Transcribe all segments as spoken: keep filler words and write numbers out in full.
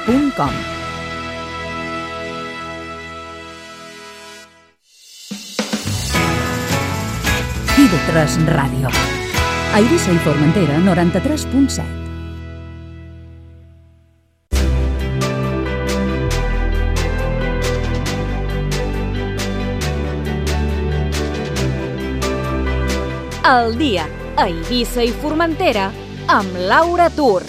punt com. i ve tres Ràdio. A Eivissa i Formentera, noranta-tres punt set. El dia a Eivissa i Formentera amb Laura Tur.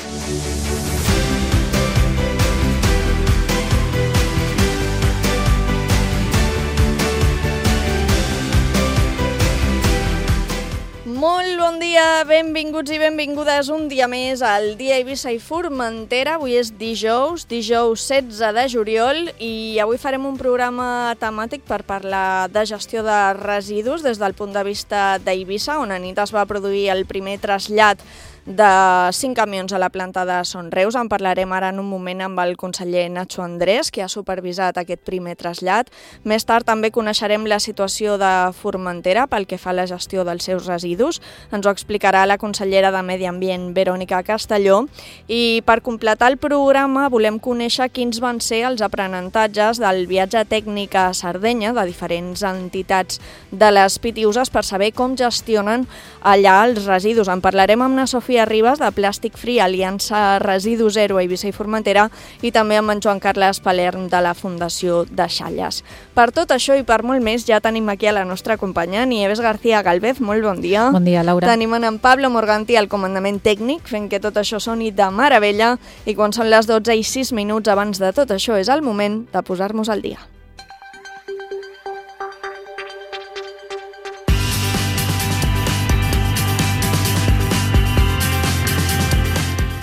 Molt bon dia, benvinguts i benvingudes un dia més al dia a Eivissa i Formentera. Avui és dijous, dijous setze de juliol, i avui farem un programa temàtic per parlar de gestió de residus des del punt de vista d'Eivissa, on a nit es va produir el primer trasllat de cinc camions a la planta de Son Reus. En parlarem ara en un moment amb el conseller Nacho Andrés, que ha supervisat aquest primer trasllat. Més tard també coneixerem la situació de Formentera pel que fa a la gestió dels seus residus. Ens ho explicarà la consellera de Medi Ambient, Verònica Castelló. I per completar el programa volem conèixer quins van ser els aprenentatges del viatge tècnic a Sardenya de diferents entitats de les Pitiüses per saber com gestionen allà els residus. En parlarem amb na Sofia Ribas, de Plàstic Free, Aliança Residu Zero a Eivissa i Formentera, i també amb en Joan Carles Palerm de la Fundació Deixalles. Per tot això i per molt més ja tenim aquí a la nostra companya, Nieves García Galvez. Molt bon dia. Bon dia, Laura. Tenim en Pablo Morganti al comandament tècnic, fent que tot això soni de meravella, i quan són les dotze i sis minuts abans de tot això és el moment de posar-nos al dia.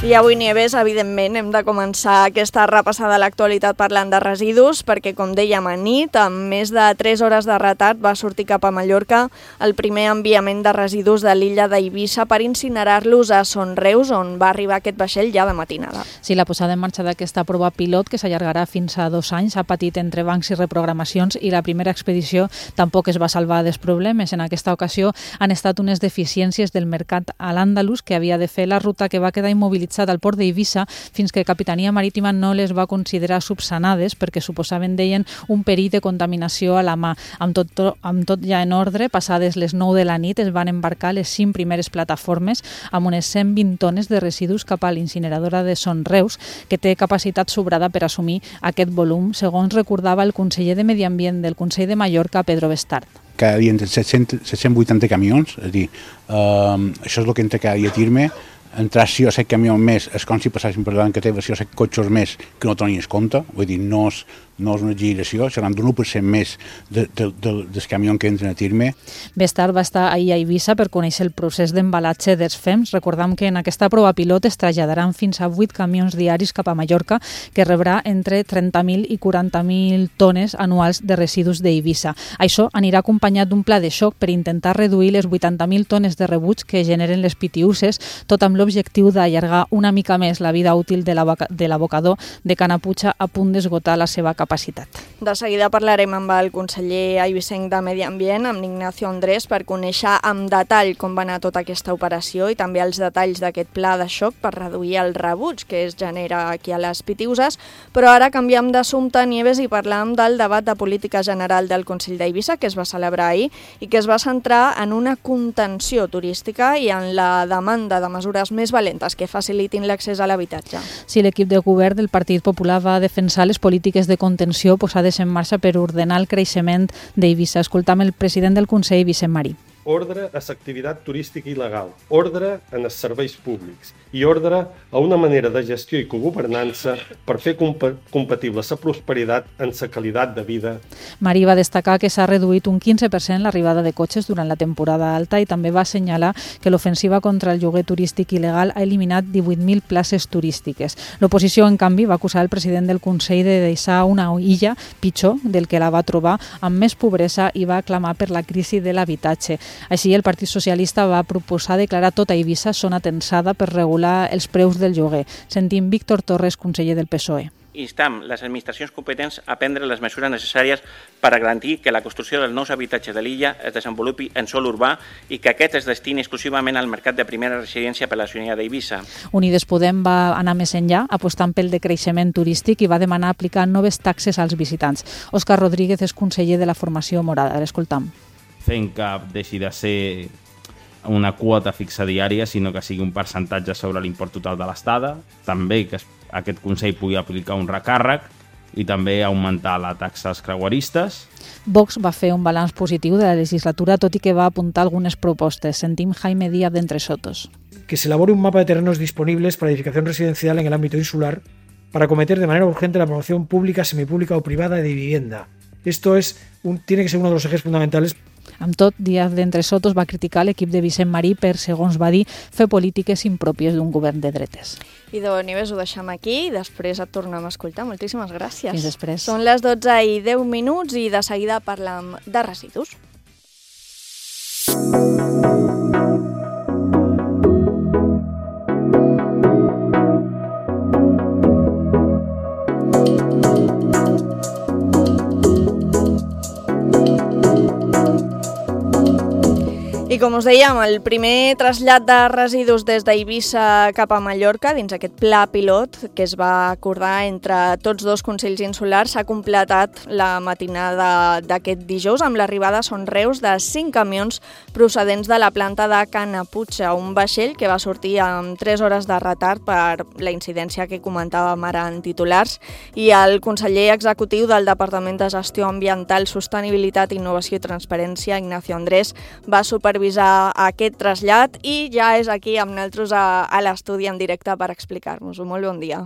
I avui, Nieves, evidentment, hem de començar aquesta repassada a l'actualitat parlant de residus, perquè, com dèiem, a nit, amb més de tres hores de retard, va sortir cap a Mallorca el primer enviament de residus de l'illa d'Eivissa per incinerar-los a Son Reus, on va arribar aquest vaixell ja de matinada. Sí, la posada en marxa d'aquesta prova pilot, que s'allargarà fins a dos anys, ha patit entrebancs i reprogramacions, i la primera expedició tampoc es va salvar dels problemes. En aquesta ocasió han estat unes deficiències del mercat a l'Àndalus, que havia de fer la ruta, que va quedar immobilitzada al port d'Eivissa fins que Capitania Marítima no les va considerar subsanades perquè suposaven, deien, un perill de contaminació a la mà. Amb tot, amb tot ja en ordre, passades les nou de la nit es van embarcar les cinc primeres plataformes amb unes cent vint tones de residus cap a l'incineradora de Son Reus, que té capacitat sobrada per assumir aquest volum, segons recordava el conseller de Medi Ambient del Consell de Mallorca, Pedro Bestart. Cada dia entre set-cents vuitanta camions, és a dir, eh, això és el que entra cada dia a Tirme. Entrar sis o set camions més és com si passessin per davant que té sis o set cotxes més que no tenies compte, vull dir, no és, no és una exageració, seran d'un u per cent més de, de, de, dels camions que entren a Tirme. Bestart va estar ahir a Eivissa per conèixer el procés d'embalatge dels F E Ms. Recordam que en aquesta prova pilot es traslladaran fins a vuit camions diaris cap a Mallorca, que rebrà entre trenta mil i quaranta mil tones anuals de residus d'Eivissa. Això anirà acompanyat d'un pla de xoc per intentar reduir les vuitanta mil tones de rebuig que generen les Pitiüses, tot amb l'objectiu d'allargar una mica més la vida útil de l'abocador de Canaputxa, a punt d'esgotar la seva capacitat. De seguida parlarem amb el conseller eivissenc de Medi Ambient, amb Ignacio Andrés, per conèixer amb detall com va anar tota aquesta operació i també els detalls d'aquest pla de xoc per reduir el rebuig que es genera aquí a les Pitiüses. Però ara canviem d'assumpte, Nieves, i parlam del debat de política general del Consell d'Eivissa, que es va celebrar ahir i que es va centrar en una contenció turística i en la demanda de mesures més valentes que facilitin l'accés a l'habitatge. Sí, l'equip de govern del Partit Popular va defensar les polítiques de contenció posades en marxa per ordenar el creixement d'Eivissa. Escoltam el president del Consell, Vicent Marí. Ordre a l'activitat turística il·legal, ordre en els serveis públics i ordre a una manera de gestió i cogovernança per fer comp compatible la prosperitat amb la qualitat de vida. Marí va destacar que s'ha reduït un quinze per cent l'arribada de cotxes durant la temporada alta i també va assenyalar que l'ofensiva contra el lloguer turístic il·legal ha eliminat divuit mil places turístiques. L'oposició, en canvi, va acusar el president del Consell de deixar una illa pitjor del que la va trobar, amb més pobresa, i va clamar per la crisi de l'habitatge. Així, el Partit Socialista va proposar declarar tota Eivissa zona tensada per regular els preus del lloguer. Sentim Víctor Torres, conseller del P S O E. instam les administracions competents a prendre les mesures necessàries per a garantir que la construcció dels nous habitatges de l'illa es desenvolupi en sòl urbà i que aquest es destini exclusivament al mercat de primera residència per la ciutadania d'Eivissa. Unides Podem va anar més enllà, apostant pel decreixement turístic i va demanar aplicar noves taxes als visitants. Òscar Rodríguez és conseller de la formació morada. L'escoltam. Fent que deixi de ser una quota fixa diària, sinó que sigui un percentatge sobre l'import total de l'estada, també que aquest Consell pugui aplicar un recàrrec i també augmentar la taxa als creueristes. Vox va fer un balanç positiu de la legislatura, tot i que va apuntar algunes propostes. Sentim Jaime Díaz de Entre Sotos. Que se elabore un mapa de terrenos disponibles para edificación residencial en el ámbito insular para acometer de manera urgente la promoción pública, semipública o privada de vivienda. Esto es un, tiene que ser uno de los ejes fundamentales. Amb tot, Díaz d'Entre Sotos va criticar l'equip de Vicent Marí per, segons va dir, fer polítiques impròpies d'un govern de dretes. I de Nieves ho deixem aquí i després et tornem a escoltar. Moltíssimes gràcies. Fins després. Són les dotze i deu minuts i de seguida parlem de residus. I com us dèiem, el primer trasllat de residus des d'Eivissa cap a Mallorca, dins aquest pla pilot que es va acordar entre tots dos consells insulars, s'ha completat la matinada d'aquest dijous amb l'arribada a Son Reus de cinc camions procedents de la planta de Canaputxa, un vaixell que va sortir amb tres hores de retard per la incidència que comentàvem ara en titulars, i el conseller executiu del Departament de Gestió Ambiental, Sostenibilitat, Innovació i Transparència, Ignacio Andrés, va supervisar aquest trasllat i ja és aquí amb nosaltres a, a l'estudi en directe per explicar-nos-ho. Molt bon dia.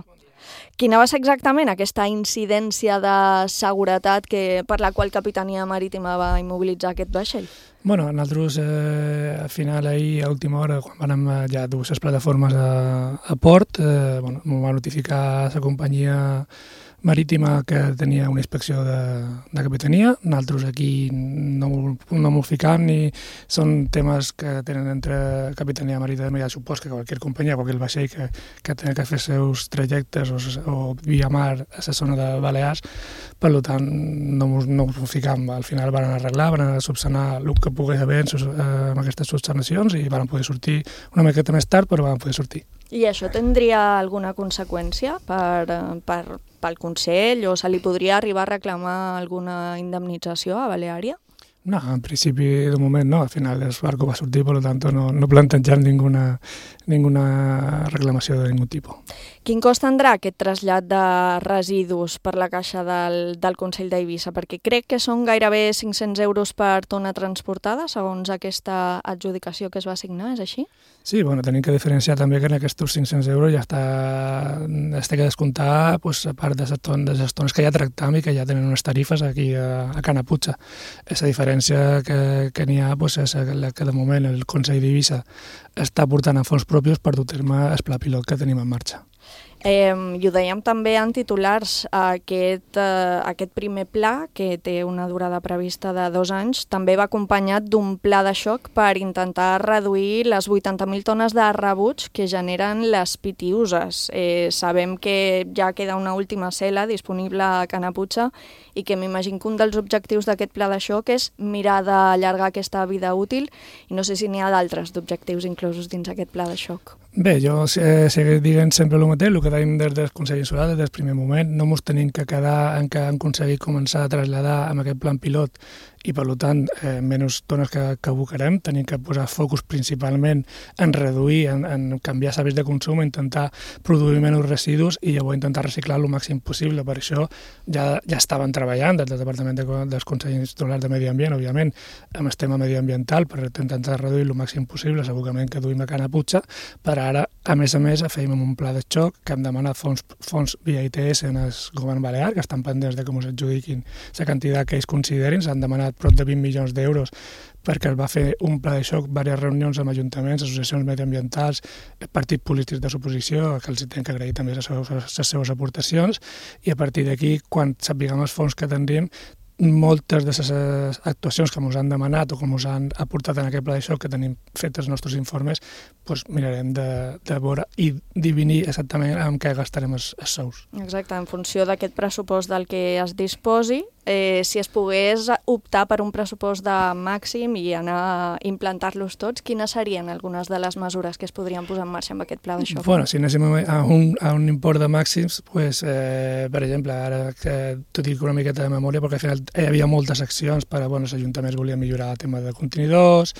Quina va ser exactament aquesta incidència de seguretat que, per la qual Capitania Marítima va immobilitzar aquest vaixell? Bueno, nosaltres eh, al final ahir a última hora, quan vam ja dur les plataformes a, a port, eh, bueno, m'ho va notificar la companyia marítima que tenia una inspecció de, de capitania. Nosaltres aquí no, no m'ho ficam, ni són temes que tenen entre capitania marítima i ja supos que qualsevol companyia, qualsevol vaixell que, que té que fer seus trajectes o, o via mar a la zona de Balears, per tant no m'ho ficam. Al final van arreglar, van subsanar el que pogués haver amb aquestes subsanacions i van poder sortir una miqueta més tard, però van poder sortir. I això tindria alguna conseqüència per, per, pel Consell o se li podria arribar a reclamar alguna indemnització a Baleària? No, en principi, de moment no. Al final el barco va sortir, per tant no, no plantegem ninguna, ninguna reclamació de ningú tipus. Quin cost tindrà aquest trasllat de residus per la caixa del, del Consell d'Eivissa? Perquè crec que són gairebé cinc-cents euros per tona transportada, segons aquesta adjudicació que es va signar, és així? Sí, bueno, tenim que diferenciar també que en aquests cinc-cents euros ja està, es té que descomptar pues, a part de les tones, de les tones que ja tractam i que ja tenen unes tarifes aquí a, a Canaputxa. Aquesta diferència que, que n'hi ha pues, és la que de moment el Consell d'Eivissa està portant a fons propis per dur a terme el pla pilot que tenim en marxa. Eh, I ho dèiem també en titulars, aquest, eh, aquest primer pla, que té una durada prevista de dos anys, també va acompanyat d'un pla de xoc per intentar reduir les vuitanta mil tones de rebuig que generen les pitiuses. Eh, sabem que ja queda una última cel·la disponible a Canaputxa i que m'imagino que un dels objectius d'aquest pla de xoc és mirar d'allargar aquesta vida útil i no sé si n'hi ha d'altres d'objectius inclosos dins aquest pla de xoc. Bé, jo eh, seguiré dient sempre el mateix, el que dèiem des del Consell Insular, des del primer moment. No ens tenim que quedar en que hem aconseguit començar a traslladar amb aquest plan pilot i, per tant, eh, menys tones que, que abocarem. Tenim que posar focus principalment en reduir, en, en canviar hàbits de consum, intentar produir menys residus i llavors intentar reciclar el màxim possible. Per això ja, ja estaven treballant des del Departament de, dels Consells Insulars de Medi Ambient, òbviament, amb el tema mediambiental per intentar reduir el màxim possible l'abocament que duim a Canaputxa. Per ara, a més a més, feim un pla de xoc que hem demanat fons, fons via I T S en el govern balear, que estan pendents de com s'adjudiquin la quantitat que ells considerin. S'han demanat prop de vint milions d'euros perquè es va fer un pla de xoc, diverses reunions amb ajuntaments, associacions mediambientals, partits polítics de l'oposició, que els tenen que agrair també les seves, les seves aportacions, i a partir d'aquí, quan sapiguem els fons que tindríem, moltes de les actuacions que ens han demanat o que ens han aportat en aquest pla de xoc que tenim fet els nostres informes, doncs mirarem de, de veure i divinir exactament amb què gastarem els, els sous. Exacte, en funció d'aquest pressupost del que es disposi, eh, si es pogués optar per un pressupost de màxim i anar a implantar-los tots, quines serien algunes de les mesures que es podrien posar en marxa amb aquest pla de xoc? Bueno, si anéssim a un, a un import de màxims, pues, eh, per exemple, ara que t'ho dic una miqueta de memòria, perquè al final hi havia moltes accions per a, bueno, els ajuntaments volien millorar el tema de contenidors,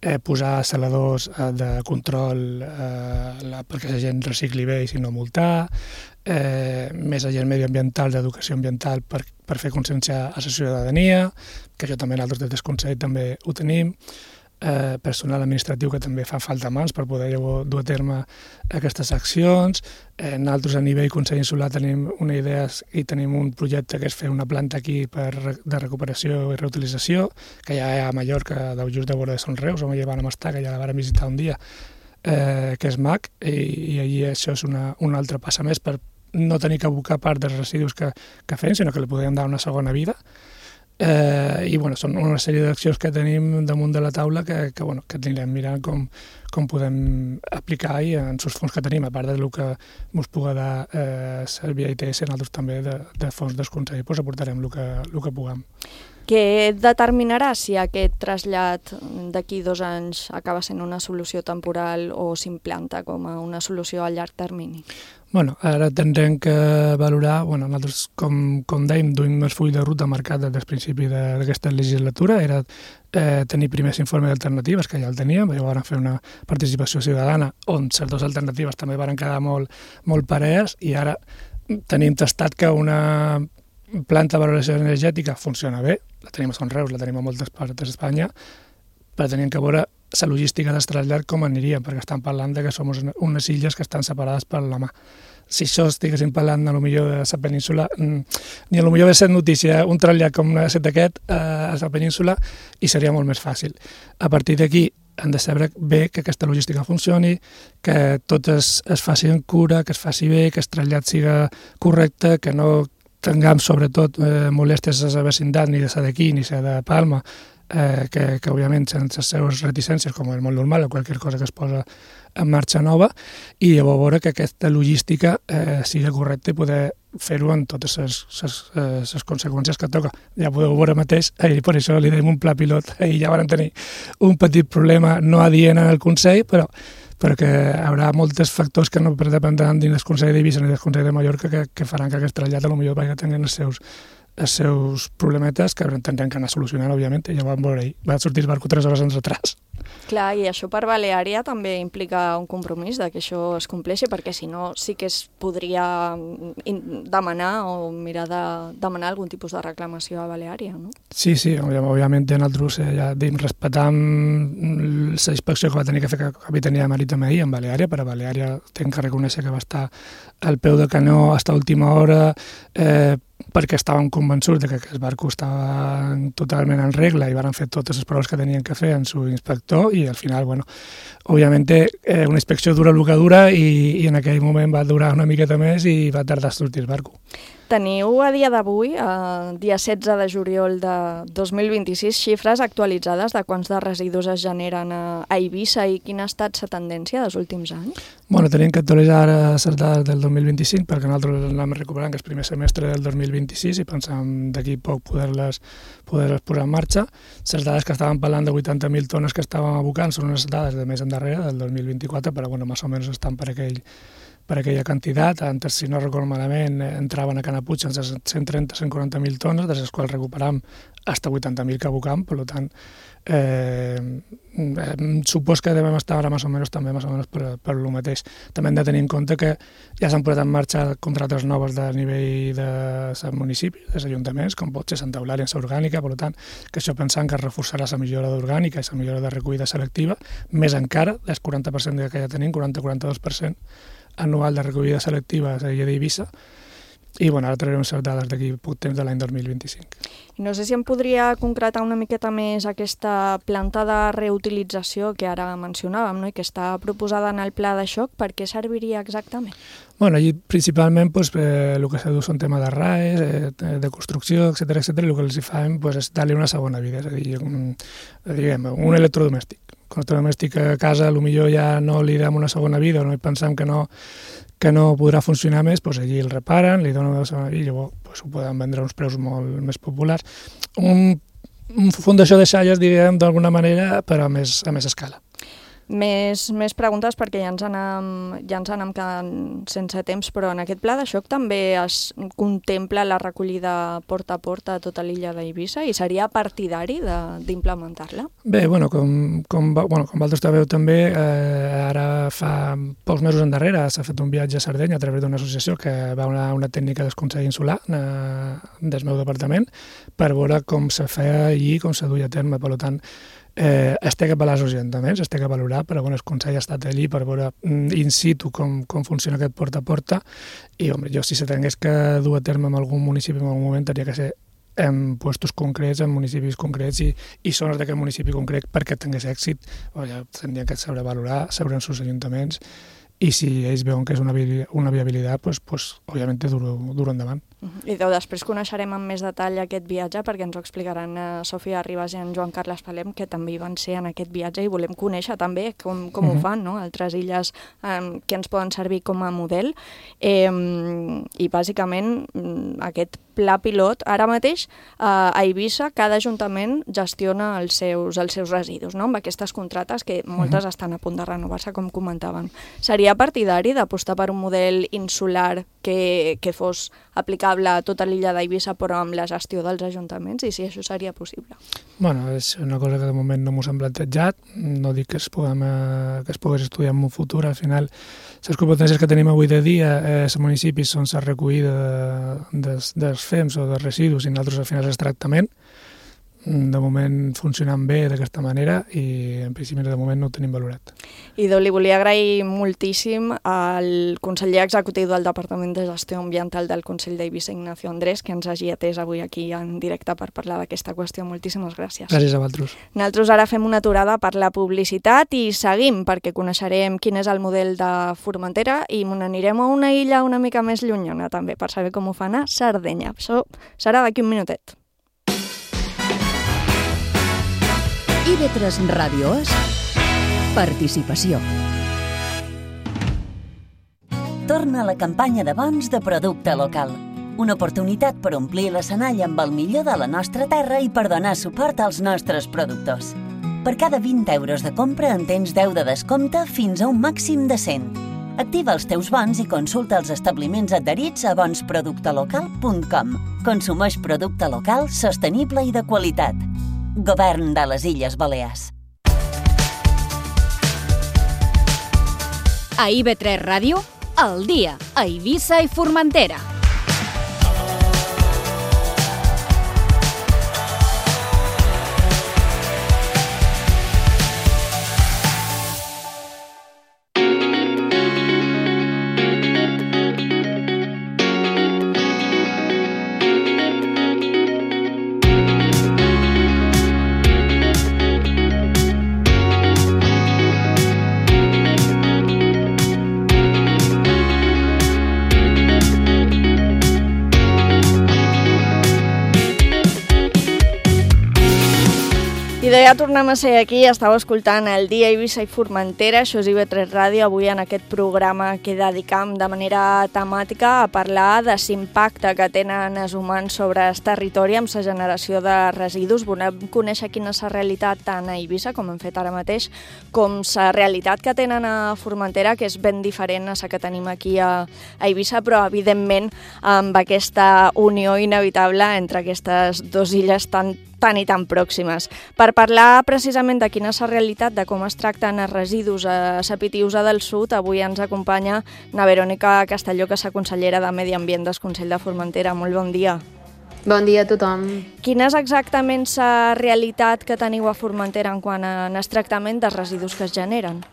eh, posar saladors eh, de control eh, la, perquè la gent recicli bé i si no multar, eh, més agent medioambiental, d'educació ambiental per, per fer consciència a la ciutadania, que això també nosaltres des del Consell també ho tenim, eh, personal administratiu que també fa falta mans per poder dur a terme aquestes accions. Eh, nosaltres a nivell Consell Insular tenim una idea i tenim un projecte que és fer una planta aquí per, de recuperació i reutilització, que ja hi ha a Mallorca, just de vora de Son Reus, on hi vam estar, que ja la vam visitar un dia, eh, que és mac, i, i allí això és una, una altra passa més per no tenir que abocar part dels residus que, que fem, sinó que li podem dar una segona vida. Eh, I bueno, són una sèrie d'accions que tenim damunt de la taula que, que, bueno, que anirem mirant com, com podem aplicar i en els fons que tenim, a part del que ens pugui dar eh, Sèrbia i T S, nosaltres també de, de fons del Consell, doncs aportarem el que, el que puguem. Què determinarà si aquest trasllat d'aquí dos anys acaba sent una solució temporal o s'implanta com a una solució a llarg termini? Bueno, ara tindrem que valorar, bueno, nosaltres, com, com dèiem, duim el full de ruta marcat des del principi d'aquesta legislatura, era eh, tenir primers informes d'alternatives, que ja el teníem, llavors vam fer una participació ciutadana on les dues alternatives també van quedar molt, molt parees, i ara tenim tastat que una planta de valoració energètica funciona bé, la tenim a Son Reus, la tenim a moltes parts d'Espanya, però tenim que veure la logística del trasllat com aniria, perquè estan parlant de que som unes illes que estan separades per la mà. Si això estiguéssim parlant a lo millor de la península, ni a lo millor hauria estat notícia un trasllat com ha estat aquest a la península i seria molt més fàcil. A partir d'aquí hem de saber bé que aquesta logística funcioni, que tot es, es faci en cura, que es faci bé, que el trasllat siga correcte, que no tinguem sobretot eh, molèsties a la vecindat, ni de la d'aquí ni la de Palma, eh, que, que òbviament sense les seves reticències, com és molt normal o qualsevol cosa que es posa en marxa nova, i llavors veure que aquesta logística eh, sigui correcta i poder fer-ho en totes les, les, les conseqüències que toca. Ja podeu veure mateix, eh, per això li deim un pla pilot, i ja van tenir un petit problema no adient en el Consell, però perquè hi haurà molts factors que no dependran dins del Consell d'Eivissa ni del Consell de Mallorca que, que faran que aquest trasllat potser vagi tenint els seus, els seus problemetes que tindran que anar solucionant, òbviament, i ja vam veure ahir. Va sortir el barco tres hores en retras. Clar, i això per Baleària també implica un compromís de que això es compleixi, perquè si no sí que es podria demanar o mirar de demanar algun tipus de reclamació a Baleària, no? Sí, sí, òbviament nosaltres ja dim, respectam la inspecció que va tenir que fer Capitania Marítima ahir en Baleària, però Baleària tenc que reconèixer que va estar al peu de canó fins a última hora, eh, perquè estàvem convençuts de que el barco estava totalment en regla i van fer totes les proves que tenien que fer en su inspector, i al final, bueno, òbviament eh, una inspecció dura el que dura, i, i en aquell moment va durar una miqueta més i va tardar a sortir el barco. Teniu a dia d'avui, a dia setze de juliol de dos mil vint-i-sis, xifres actualitzades de quants de residus es generen a Eivissa i quina ha estat la tendència dels últims anys? Bueno, tenim que actualitzar les dades del dos mil vint-i-cinc perquè nosaltres anem recuperant que el primer semestre del dos mil vint-i-sis i pensem d'aquí poc poder-les poder posar en marxa. Les dades que estàvem parlant de vuitanta mil tones que estàvem abocant són unes dades de més endarrere, del dos mil vint-i-quatre, però bueno, més o menys estan per aquell per aquella quantitat. Antes, si no recordo malament, entraven a Canapuig amb cent trenta a cent quaranta mil tones, de les quals recuperam fins a vuitanta mil que abocam, per tant, eh, supos que devem estar ara més o menys també més o menys per, per el mateix. També hem de tenir en compte que ja s'han posat en marxa contractes noves de nivell de municipis, dels ajuntaments, com pot ser Santa Eulàlia en l'orgànica, per tant, que això pensant que es reforçarà la millora d'orgànica i la millora de recollida selectiva, més encara, del quaranta per cent que ja tenim, quaranta a quaranta-dos per cent anual de recollida selectiva a l'illa d'Eivissa, i bueno, ara traurem les dades d'aquí poc temps de l'any dos mil vint-i-cinc. No sé si em podria concretar una miqueta més aquesta planta de reutilització que ara mencionàvem, no? I que està proposada en el pla de xoc. Per què serviria exactament? Bueno, allí principalment pues, eh, el que s'ha dut són temes de R A E, eh, de construcció, etcètera, etcètera, i el que els hi fan pues, és dar-li una segona vida, és a dir, un, diguem, un electrodomèstic. Un electrodomèstic a casa potser ja no li dam una segona vida o no pensam que no, que no podrà funcionar més, doncs allí el reparen, li donen una segona vida i llavors doncs, ho poden vendre a uns preus molt més populars. Un, un fundació de xalles, diguem, d'alguna manera, però a més, a més escala. Més, més preguntes perquè ja ens anem, ja ens anem quedant sense temps, però en aquest pla de xoc també es contempla la recollida porta a porta a tota l'illa d'Eivissa i seria partidari d'implementar-la? Bé, bueno, com, com, bueno, com vosaltres sabeu també, eh, ara fa pocs mesos endarrere s'ha fet un viatge a Sardenya a través d'una associació que va una, una tècnica del Consell Insular eh, del meu departament per veure com se feia i com se duia a terme, per tant, Eh, es té que apel·lar als ajuntaments, es té que valorar, però bueno, el Consell ha estat allí per veure in situ com, com funciona aquest porta a porta i home, jo si se tingués que dur a terme en algun municipi en algun moment tenia que ser en puestos concrets, en municipis concrets i, i zones d'aquest municipi concret perquè tingués èxit, o ja tindrien que saber valorar, saber en els ajuntaments i si ells veuen que és una, una viabilitat, pues, pues, òbviament dur-ho dur endavant. I després coneixerem amb més detall aquest viatge perquè ens ho explicaran a Sofia Ribas i en Joan Carles Palem, que també hi van ser en aquest viatge i volem conèixer també com, com uh-huh. ho fan, no? Altres illes um, que ens poden servir com a model. Eh, I bàsicament aquest pla pilot, ara mateix a Eivissa cada ajuntament gestiona els seus, els seus residus, no? Amb aquestes contractes que moltes uh-huh. estan a punt de renovar-se, com comentaven. Seria partidari d'apostar per un model insular que, que fos aplicable a tota l'illa d'Eivissa però amb la gestió dels ajuntaments i si això seria possible? Bueno, és una cosa que de moment no m'ho hem plantejat, no dic que es, puguem, eh, que es pogués estudiar en un futur, al final les competències que tenim avui de dia eh, els municipis són la recollida de, dels, dels fems o dels residus i nosaltres al final és tractament. De moment funcionant bé d'aquesta manera i en principi de moment no ho tenim valorat. Idò, li volia agrair moltíssim al conseller executiu del Departament de Gestió Ambiental del Consell d'Eivissa, Ignacio Andrés, que ens hagi atès avui aquí en directe per parlar d'aquesta qüestió. Moltíssimes gràcies. Gràcies a vosaltres. Nosaltres ara fem una aturada per la publicitat i seguim perquè coneixerem quin és el model de Formentera i n'anirem a una illa una mica més llunyana també per saber com ho fan a Sardenya. Això serà d'aquí un minutet. I V tres Ràdio és participació. Torna la campanya de bons de producte local. Una oportunitat per omplir l'escenari amb el millor de la nostra terra i per donar suport als nostres productors. Per cada vint euros de compra en tens deu de descompte fins a un màxim de cent. Activa els teus bons i consulta els establiments adherits a bons producte local punt com. Consumeix producte local, sostenible i de qualitat. Govern de les Illes Balears. A I V tres Ràdio, al dia, a Eivissa i Formentera. Ja tornem a ser aquí, estàu escoltant el dia Eivissa i Formentera, això és I V tres Ràdio, avui en aquest programa que dedicam de manera temàtica a parlar de l'impacte que tenen els humans sobre el territori amb la generació de residus. Volem conèixer quina és la realitat tant a Eivissa, com hem fet ara mateix, com la realitat que tenen a Formentera, que és ben diferent a la que tenim aquí a Eivissa, però evidentment amb aquesta unió inevitable entre aquestes dues illes tan tan i tan pròximes. Per parlar precisament de quina és la realitat, de com es tracten els residus a la Pitiusa del Sud, avui ens acompanya na Verònica Castelló, que és la consellera de Medi Ambient del Consell de Formentera. Molt bon dia. Bon dia a tothom. Quina és exactament la realitat que teniu a Formentera en quant al tractament dels residus que es generen?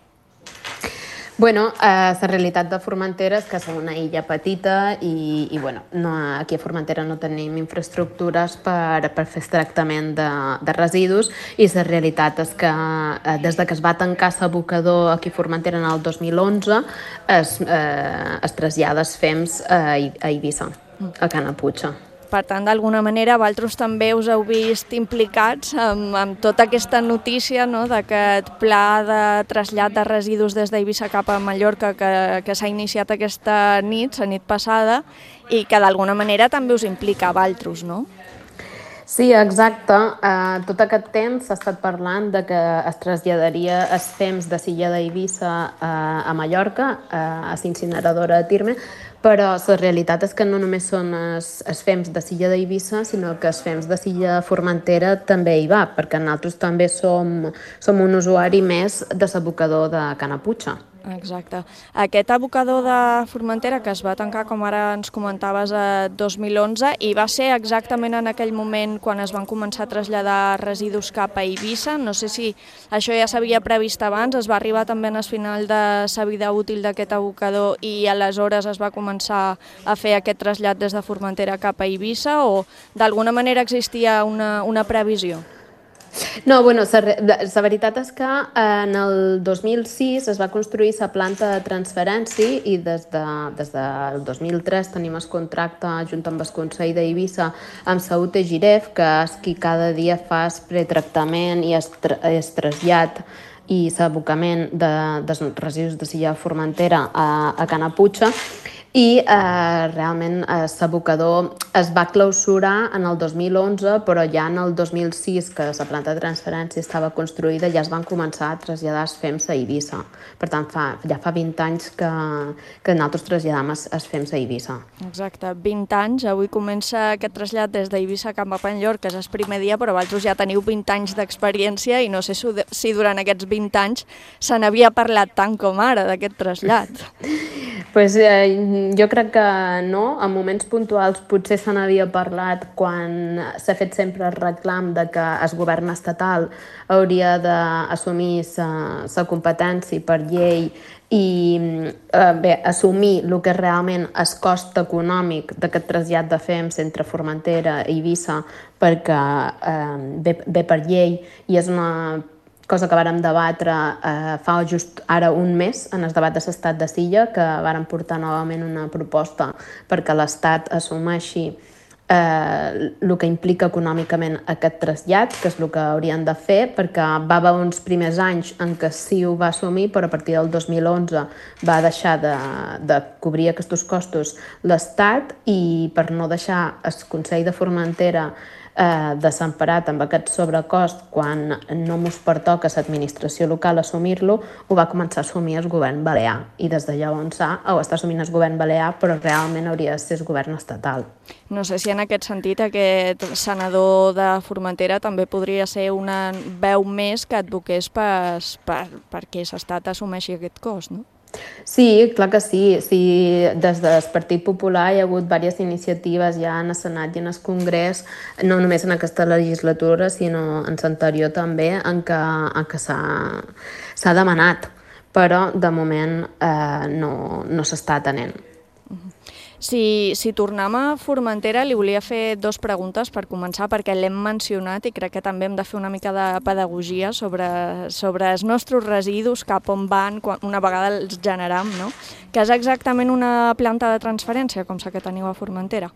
Bueno, eh, la realitat de Formentera és que som una illa petita i, i bueno, no, aquí a Formentera no tenim infraestructures per, per fer tractament de, de residus i la realitat és que eh, des de que es va tancar l'abocador aquí a Formentera en el dos mil onze es, eh, es trasllada els fems a, a Eivissa, a Canaputxa. Per tant, d'alguna manera, vosaltres també us heu vist implicats amb, amb tota aquesta notícia, no?, d'aquest pla de trasllat de residus des d'Eivissa cap a Mallorca que, que s'ha iniciat aquesta nit, la nit passada, i que d'alguna manera també us implica a vosaltres, no? Sí, exacte. Uh, tot aquest temps s'ha estat parlant de que es traslladaria els fems de l'illa d'Eivissa uh, a Mallorca, uh, a l'incineradora de Tirme, però la realitat és que no només són els, els fems de l'illa d'Eivissa, sinó que els fems de l'illa Formentera també hi va, perquè nosaltres també som, som un usuari més de l'abocador de Canaputxa. Exacte. Aquest abocador de Formentera que es va tancar, com ara ens comentaves, a dos mil onze, i va ser exactament en aquell moment quan es van començar a traslladar residus cap a Eivissa. No sé si això ja s'havia previst abans, es va arribar també al final de la vida útil d'aquest abocador i aleshores es va començar a fer aquest trasllat des de Formentera cap a Eivissa, o d'alguna manera existia una, una previsió? No, bueno, la veritat és que en el dos mil sis es va construir la planta de transferència i des, de, des del dos mil tres tenim el contracte junt amb el Consell d'Eivissa amb la U T Giref, que és qui cada dia fa el pretractament i el, tra el trasllat i l'abocament de, dels residus de l'illa Formentera a, a Canaputxa. I eh, realment eh, l'abocador es va clausurar en el dos mil onze, però ja en el dos mil sis, que la planta de transferència estava construïda, ja es van començar a traslladar els fems a Eivissa. Per tant, fa, ja fa vint anys que, que nosaltres traslladam els, els fems a Eivissa. Exacte, vint anys. Avui comença aquest trasllat des d'Eivissa cap a Mallorca, que és el primer dia, però vosaltres ja teniu vint anys d'experiència i no sé si durant aquests vint anys se n'havia parlat tant com ara d'aquest trasllat. Pues, eh, jo crec que no, en moments puntuals potser se n'havia parlat quan s'ha fet sempre el reclam de que el govern estatal hauria d'assumir la competència per llei i eh, bé, assumir el que realment és cost econòmic d'aquest trasllat de fems entre Formentera i Eivissa, perquè eh, ve, ve per llei i és una cosa que vàrem debatre eh, fa just ara un mes en el debat de l'estat de Silla, que vàrem portar novament una proposta perquè l'Estat assumeixi eh, el que implica econòmicament aquest trasllat, que és el que haurien de fer, perquè va haver uns primers anys en què sí ho va assumir, però a partir del dos mil onze va deixar de, de cobrir aquests costos l'Estat, i per no deixar el Consell de Formentera eh, desemparat amb aquest sobrecost quan no mos pertoca a l'administració local assumir-lo, ho va començar a assumir el govern balear, i des de llavors ho està assumint el govern balear, però realment hauria de ser el govern estatal. No sé si en aquest sentit aquest senador de Formentera també podria ser una veu més que advoqués per, per, perquè l'Estat assumeixi aquest cost, no? Sí, clar que sí. sí. Des del Partit Popular hi ha hagut diverses iniciatives ja en el Senat i en el Congrés, no només en aquesta legislatura, sinó en l'anterior també, en què, en què s'ha demanat, però de moment eh, no, no s'està atenent. Si, si tornem a Formentera, li volia fer dues preguntes per començar, perquè l'hem mencionat i crec que també hem de fer una mica de pedagogia sobre, sobre els nostres residus, cap on van quan, una vegada els generam, no? Que és exactament una planta de transferència, com la que teniu a Formentera.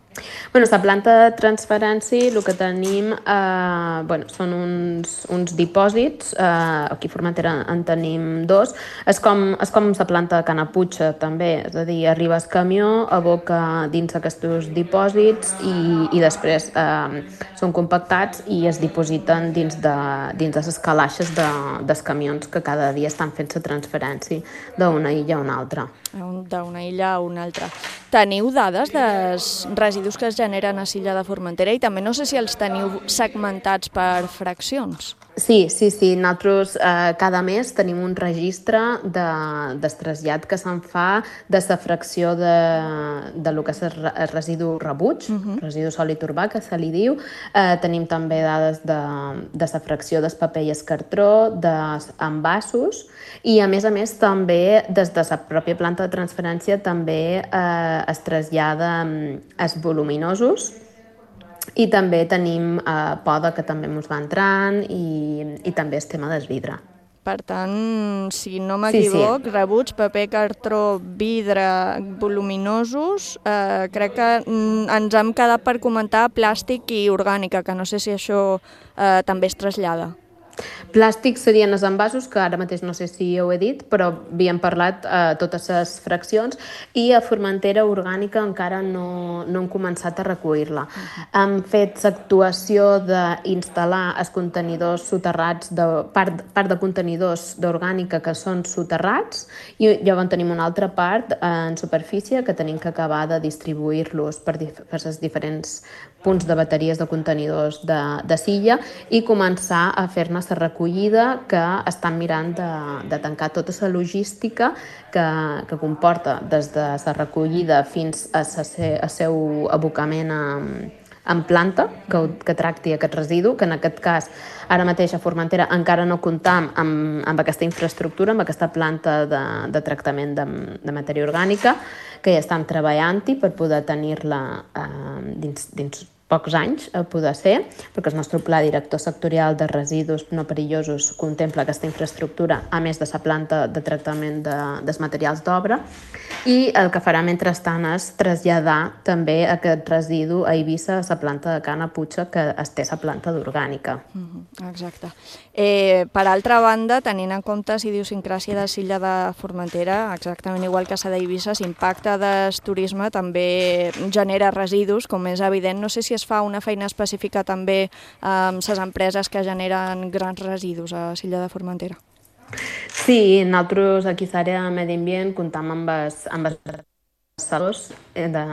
Bueno, la planta de transferència, el que tenim eh, bueno, són uns, uns dipòsits, eh, aquí a Formentera en tenim dos, és com, és com la planta de Canaputxa també, és a dir, arriba el camió, aboca dins aquests dipòsits i, i després eh, són compactats i es dipositen dins de, dins de les calaixes de, dels camions que cada dia estan fent la transferència d'una illa a una altra. d'una illa a una altra. Teniu dades dels residus que es generen a l'illa de Formentera i també no sé si els teniu segmentats per fraccions. Sí, sí, sí. Nosaltres eh, cada mes tenim un registre de, del trasllat que se'n fa de la fracció de, de lo que és el residu rebuig, uh-huh. residu sòlid urbà, que se li diu. Eh, tenim també dades de, de la fracció del paper i el cartró, dels envasos, i a més a més també des de la pròpia planta de transferència també eh, es trasllada els voluminosos. I també tenim eh, poda, que també ens va entrant, i, i també el tema del vidre. Per tant, si no m'equivoc, sí, sí. rebuig, paper, cartró, vidre, voluminosos, eh, crec que ens hem quedat per comentar plàstic i orgànica, que no sé si això eh, també es trasllada. Plàstics serien els envasos, que ara mateix no sé si ho he dit, però havíem parlat eh, totes les fraccions, i a Formentera orgànica encara no, no hem començat a recollir-la. Uh-huh. Hem fet l'actuació d'instal·lar els contenidors soterrats, de, part, part de contenidors d'orgànica que són soterrats, i llavors tenim una altra part en superfície que tenim que acabar de distribuir-los per, dif per els diferents punts de bateries de contenidors de, de silla i començar a fer-ne la recollida, que estan mirant de, de tancar tota la logística que, que comporta des de la recollida fins a la seu abocament a, en planta, que, que tracti aquest residu, que en aquest cas ara mateix a Formentera encara no comptam amb, amb aquesta infraestructura, amb aquesta planta de, de tractament de, de matèria orgànica, que ja estem treballant-hi per poder tenir-la eh, dins, dins pocs anys a poder ser, perquè el nostre pla director sectorial de residus no perillosos contempla aquesta infraestructura, a més de la planta de tractament de, dels materials d'obra, i el que farà mentrestant és traslladar també aquest residu a Eivissa, a la planta de Cana Puigca, que es té a la planta d'orgànica. Mm-hmm, exacte. Eh, per altra banda, tenint en compte la idiosincràsia de l'illa de Formentera, exactament igual que la d'Eivissa, l'impacte del turisme també genera residus, com és evident. No sé si es fa una feina específica també amb les empreses que generen grans residus a l'illa de Formentera. Sí, nosaltres aquí a l'àrea de Medi Ambient comptam amb els, amb els ressaltadors de,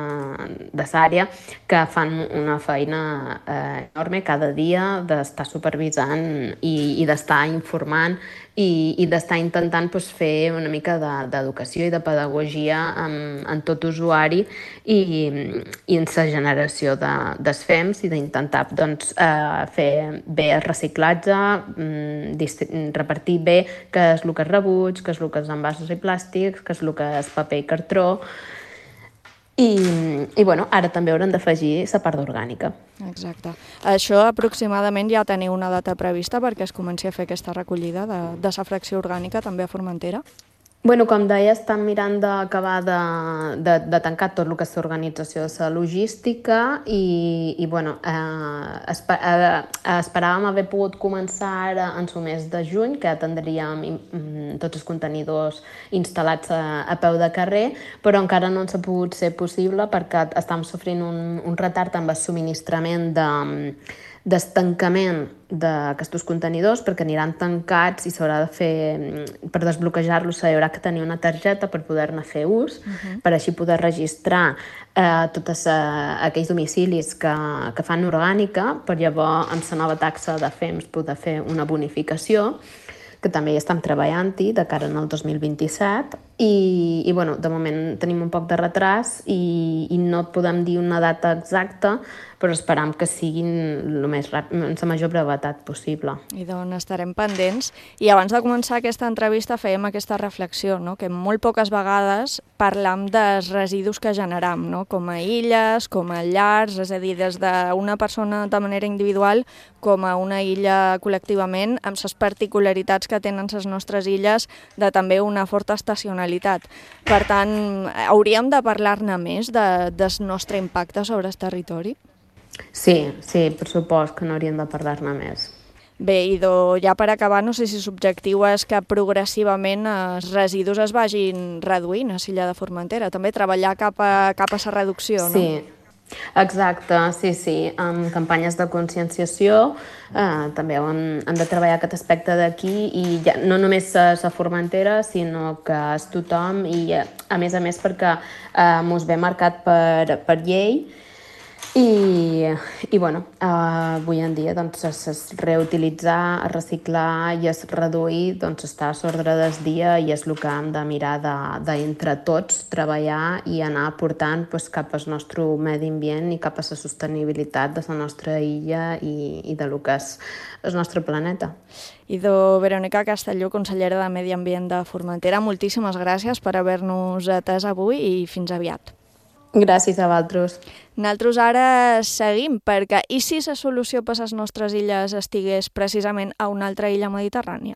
de l'àrea que fan una feina eh, enorme cada dia d'estar supervisant i, i d'estar informant i, i d'estar intentant pues, fer una mica d'educació i de pedagogia en, en tot usuari i, i en la generació de, dels F E Ms i d'intentar doncs, eh, fer bé el reciclatge, mm, repartir bé què és el que és rebuig, què és el que és envasos i plàstics, què és el que és paper i cartró. I, i bueno, ara també haurem d'afegir la part orgànica. Exacte. Això aproximadament ja teniu una data prevista perquè es comenci a fer aquesta recollida de, de la fracció orgànica també a Formentera? Bueno, com deia, estan mirant d'acabar de, de, de tancar tot el que és l'organització de la logística i, i bueno, eh, esper, eh, esperàvem haver pogut començar ara en el mes de juny, que ja tindríem mm, tots els contenidors instal·lats a, a peu de carrer, però encara no ens ha pogut ser possible perquè estem sofrint un, un retard amb el subministrament de d'estancament d'aquests contenidors perquè aniran tancats i s'haurà de fer, per desbloquejar-los s'haurà de tenir una targeta per poder-ne fer ús, uh-huh. per així poder registrar eh, tots eh, aquells domicilis que, que fan orgànica, per llavors amb la nova taxa de F E Ms poder fer una bonificació, que també hi estem treballant-hi de cara al dos mil vint-i-set i, i bueno, de moment tenim un poc de retras i, i no podem dir una data exacta, però esperam que siguin el més ràpid, amb la major brevetat possible. I d'on estarem pendents. I abans de començar aquesta entrevista fèiem aquesta reflexió, no? Que molt poques vegades parlam dels residus que generam, no? Com a illes, com a llars, és a dir, des d'una persona de manera individual com a una illa col·lectivament, amb les particularitats que tenen les nostres illes de també una forta estacionalitat. Per tant, hauríem de parlar-ne més de, del nostre impacte sobre el territori? Sí, sí, per supost que no hauríem de parlar-ne més. Bé, i do, ja per acabar, no sé si l'objectiu és que progressivament els residus es vagin reduint a l'illa de Formentera, també treballar cap a, cap a la reducció, no? Sí, Exacte, sí, sí, amb campanyes de conscienciació eh, també hem, hem de treballar aquest aspecte d'aquí i ja, no només a la Formentera, sinó que és tothom i a més a més perquè eh, mos ve marcat per, per llei i, i bueno, eh, avui en dia doncs, es, es reutilitzar, es reciclar i es reduir doncs, està a l'ordre del dia i és el que hem de mirar d'entre de, tots, treballar i anar portant pues, cap al nostre medi ambient i cap a la sostenibilitat de la nostra illa i, i de lo que és el nostre planeta. Idò Verónica Castelló, consellera de Medi Ambient de Formentera, moltíssimes gràcies per haver-nos atès avui i fins aviat. Gràcies a vosaltres. Nosaltres ara seguim, perquè i si la solució per a les nostres illes estigués precisament a una altra illa mediterrània?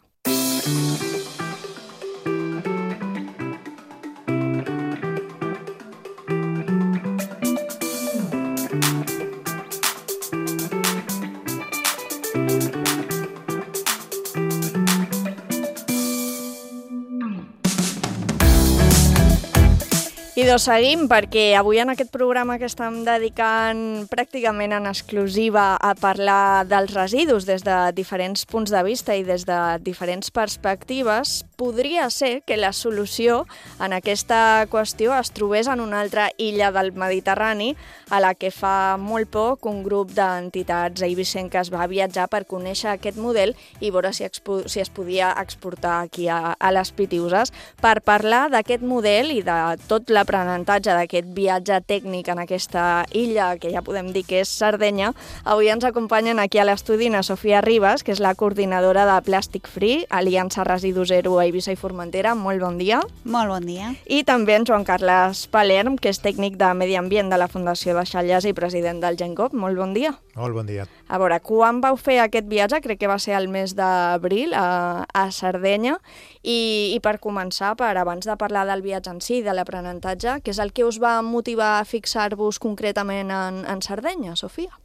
I doncs seguim, perquè avui en aquest programa que estem dedicant pràcticament en exclusiva a parlar dels residus des de diferents punts de vista i des de diferents perspectives, podria ser que la solució en aquesta qüestió es trobés en una altra illa del Mediterrani, a la que fa molt poc un grup d'entitats eivissenques va viatjar per conèixer aquest model i veure si, expo si es podia exportar aquí a, a les Pitiüses. Per parlar d'aquest model i de tot la l'aprenentatge d'aquest viatge tècnic en aquesta illa, que ja podem dir que és Sardenya, avui ens acompanyen aquí a l'estudi na Sofia Ribas, que és la coordinadora de Plastic Free, Aliança Residu Zero a Eivissa i Formentera. Molt bon dia. Molt bon dia. I també en Joan Carles Palerm, que és tècnic de Medi Ambient de la Fundació de Xalles i president del GenCop. Molt bon dia. Molt bon dia. A veure, quan vau fer aquest viatge? Crec que va ser el mes d'abril a, a Sardenya. I, I per començar, per abans de parlar del viatge en si, de l'aprenentatge, què és el que us va motivar a fixar-vos concretament en, en Sardenya, Sofia?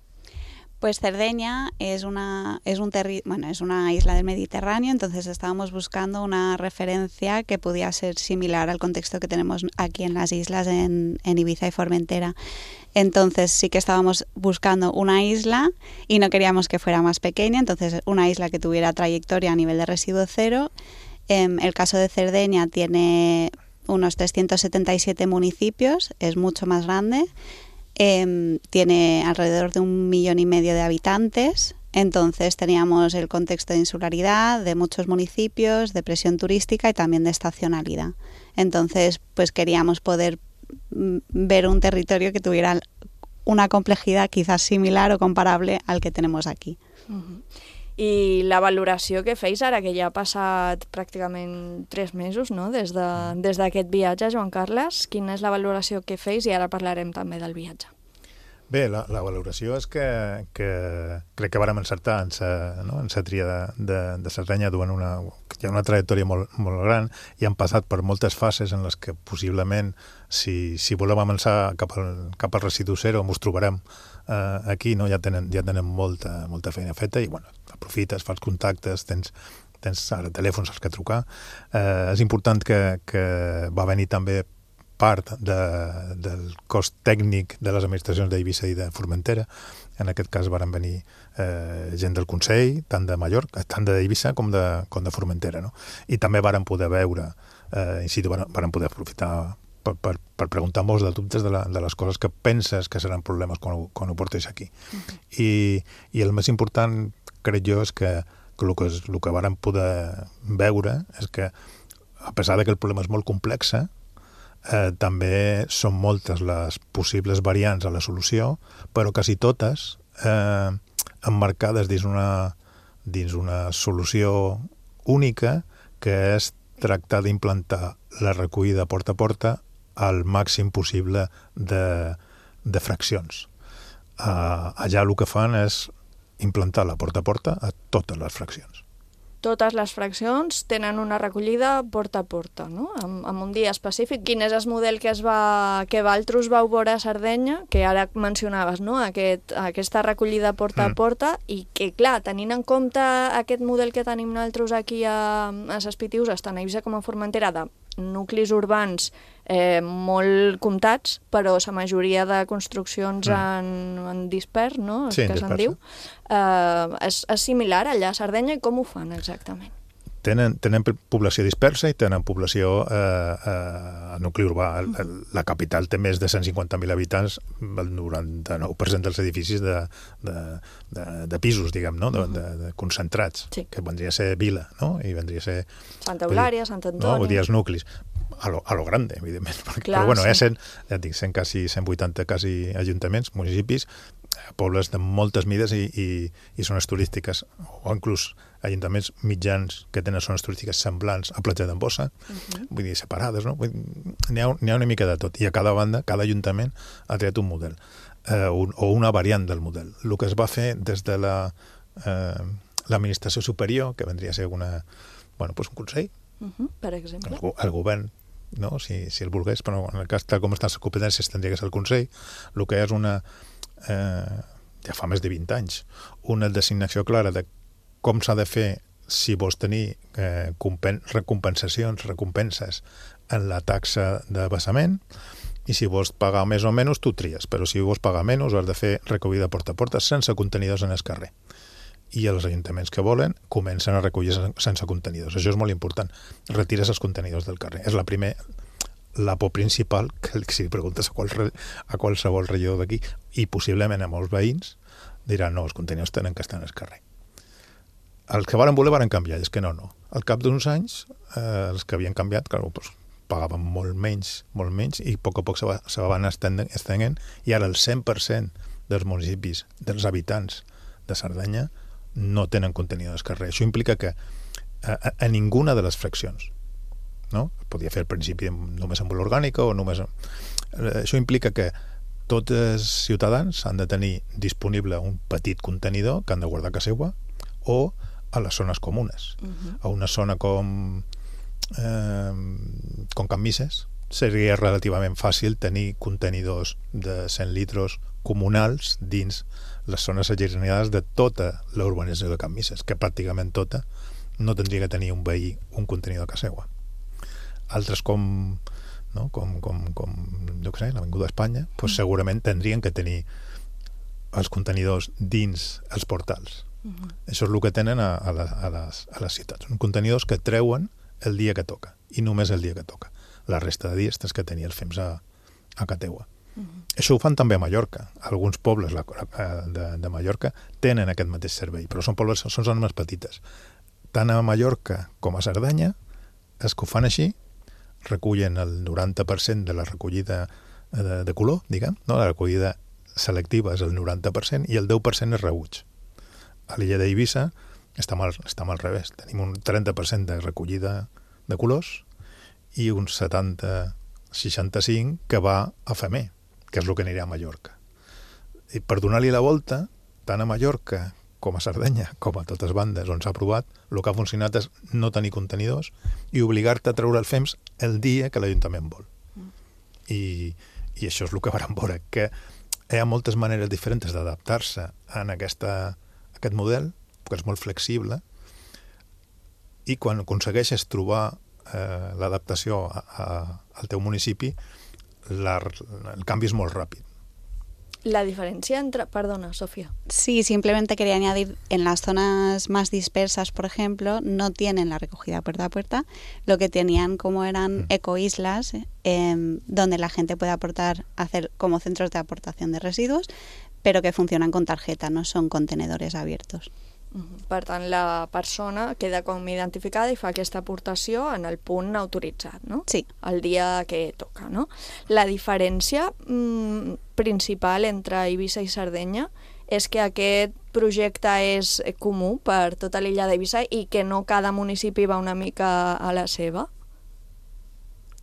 Pues Cerdeña es una, es, un terri bueno, es una isla del Mediterráneo, entonces estábamos buscando una referencia que pudiera ser similar al contexto que tenemos aquí en las islas, en, en Ibiza y Formentera. Entonces sí que estábamos buscando una isla y no queríamos que fuera más pequeña, entonces una isla que tuviera trayectoria a nivel de residuo cero. Eh, el caso de Cerdeña tiene unos trescientos setenta y siete municipios, es mucho más grande. Eh, tiene alrededor de un millón y medio de habitantes, entonces teníamos el contexto de insularidad, de muchos municipios, de presión turística y también de estacionalidad. Entonces, pues queríamos poder ver un territorio que tuviera una complejidad quizás similar o comparable al que tenemos aquí. Uh-huh. I la valoració que feis ara, que ja ha passat pràcticament tres mesos, no?, des de, des d'aquest viatge, Joan Carles, quina és la valoració que feis? I ara parlarem també del viatge. Bé, la, la valoració és que, que crec que vàrem encertar en sa, no? en sa tria de, de, de Sardenya, duent una, hi ha una trajectòria molt, molt gran i han passat per moltes fases en les que possiblement, si, si volem avançar cap al, cap al residu zero, ens trobarem eh, aquí, no? ja tenen, ja tenen molta, molta feina feta i bueno, aprofites, fas contactes, tens, tens ara telèfons als que trucar. Eh, és important que, que va venir també part de, del cost tècnic de les administracions d'Eivissa i de Formentera. En aquest cas varen venir eh, gent del Consell, tant de Mallorca, tant d'Eivissa com de, com de Formentera. No? I també varen poder veure, eh, in situ, varen, varen poder aprofitar per, per, per preguntar molts de dubtes de, la, de les coses que penses que seran problemes quan ho, quan ho portes aquí. Uh-huh. I, I el més important, crec jo, és que, que el que, el que varen poder veure és que, a pesar de que el problema és molt complex, Eh, també són moltes les possibles variants a la solució, però quasi totes eh, emmarcades dins una, dins una solució única, que és tractar d'implantar la recollida porta a porta al màxim possible de, de fraccions. Eh, allà el que fan és implantar la porta a porta a totes les fraccions. Totes les fraccions tenen una recollida porta a porta, no? Amb, amb un dia específic. Quin és el model que es va, que vosaltres vau veure a Sardenya, que ara mencionaves, no? Aquest, aquesta recollida porta mm. a porta, i que, clar, tenint en compte aquest model que tenim nosaltres aquí a, a les Pitiüses, tant a Eivissa com a Formentera, de nuclis urbans eh, molt comptats, però la majoria de construccions Mm. en, en dispers, no? Sí, en que se'n dispers, diu, eh, és, és similar allà a Sardenya, i com ho fan exactament? Tenen, tenen població dispersa i tenen població eh, eh, a nucli urbà. El, el, la capital té més de cent cinquanta mil habitants, el noranta-nou per cent dels edificis de, de, de, de pisos, diguem, no? de, de, de concentrats, sí. que vendria a ser vila, no? I vendria a ser... Santa Eulària, Sant Antoni... No? Vull dir, els nuclis. A lo, a lo grande, evidentment. Perquè, Clar, però bueno, sí. hi ha cent, ja et dic, cent, quasi cent vuitanta quasi ajuntaments, municipis, pobles de moltes mides i, i, i zones turístiques, o inclús ajuntaments mitjans que tenen zones turístiques semblants a Platja d'Embossa, uh-huh. vull dir, separades, no? N'hi ha, n'hi ha una mica de tot. I a cada banda, cada ajuntament ha triat un model, eh, un, o una variant del model. El que es va fer des de la eh, l'administració superior, que vendria a ser una, bueno, pues un consell, uh-huh. per exemple. El, el govern, no? si, si el volgués, però en el cas tal com estan les competències tindria que ser el consell, el que és una... Eh, ja fa més de vint anys, una designació clara de com s'ha de fer si vols tenir eh, recompensacions, recompenses en la taxa de vessament, i si vols pagar més o menys, tu tries, però si vols pagar menys, has de fer recollida porta a porta sense contenidors en el carrer. I els ajuntaments que volen comencen a recollir sense contenidors. Això és molt important. Retires els contenidors del carrer. És la primer, la por principal que si preguntes a, qual, a qualsevol regidor d'aquí, i possiblement a molts veïns, diran, no, els contenidors tenen que estar en el carrer. Els que varen voler varen canviar, és que no, no. Al cap d'uns anys, eh, els que havien canviat, clar, doncs, pagaven molt menys, molt menys, i a poc a poc se, va, se van estenent, i ara el cent per cent dels municipis, dels habitants de Sardenya, no tenen contenidor al carrer. Això implica que a, a, a ninguna de les fraccions, no? Podia fer al principi només amb l'orgànica o només... Eh, això implica que tots els ciutadans han de tenir disponible un petit contenidor que han de guardar a casa seva, o a les zones comunes. Uh-huh. A una zona com eh, com Can Misses seria relativament fàcil tenir contenidors de cent litres comunals dins les zones allunyades de tota la urbanització de Can Misses, que pràcticament tota no tindria que tenir un veí un contenidor a casa seva. Altres com no? com, com, com jo què sé, l'Avinguda d'Espanya, pues segurament tindrien que tenir els contenidors dins els portals. Uh-huh. Això és el que tenen a, a, la, a, les, a les ciutats. Són contenidors que treuen el dia que toca, i només el dia que toca. La resta de dies tens que tenir el fems a, a casa teua. Uh-huh. Això ho fan també a Mallorca. Alguns pobles la, de, de Mallorca tenen aquest mateix servei, però són pobles, són zones més petites. Tant a Mallorca com a Sardenya, els que ho fan així recullen el noranta per cent de la recollida de, de color, diguem, no? La recollida selectiva és el noranta per cent i el deu per cent és rebuig. A l'illa d'Eivissa està mal, està mal al revés. Tenim un trenta per cent de recollida de colors i un setanta seixanta-cinc que va a Femer, que és el que anirà a Mallorca. I per donar-li la volta, tant a Mallorca com a Sardenya, com a totes bandes on s'ha provat, el que ha funcionat és no tenir contenidors i obligar-te a treure el fems el dia que l'Ajuntament vol. Mm. I, I això és el que vam veure, que hi ha moltes maneres diferents d'adaptar-se en aquesta, aquest model, que és molt flexible, i quan aconsegueixes trobar eh, l'adaptació a, a, al teu municipi, la, el canvi és molt ràpid. La diferencia entre... Perdona, Sofía. Sí, simplemente quería añadir, en las zonas más dispersas, por ejemplo, no tienen la recogida puerta a puerta, lo que tenían como eran ecoislas, eh, donde la gente puede aportar, hacer como centros de aportación de residuos, pero que funcionan con tarjeta, no son contenedores abiertos. Per tant, la persona queda com identificada i fa aquesta aportació en el punt autoritzat, no? Sí. El dia que toca, no? La diferència mmm, principal entre Eivissa i Sardenya és que aquest projecte és comú per tota l'illa d'Eivissa i que no cada municipi va una mica a la seva.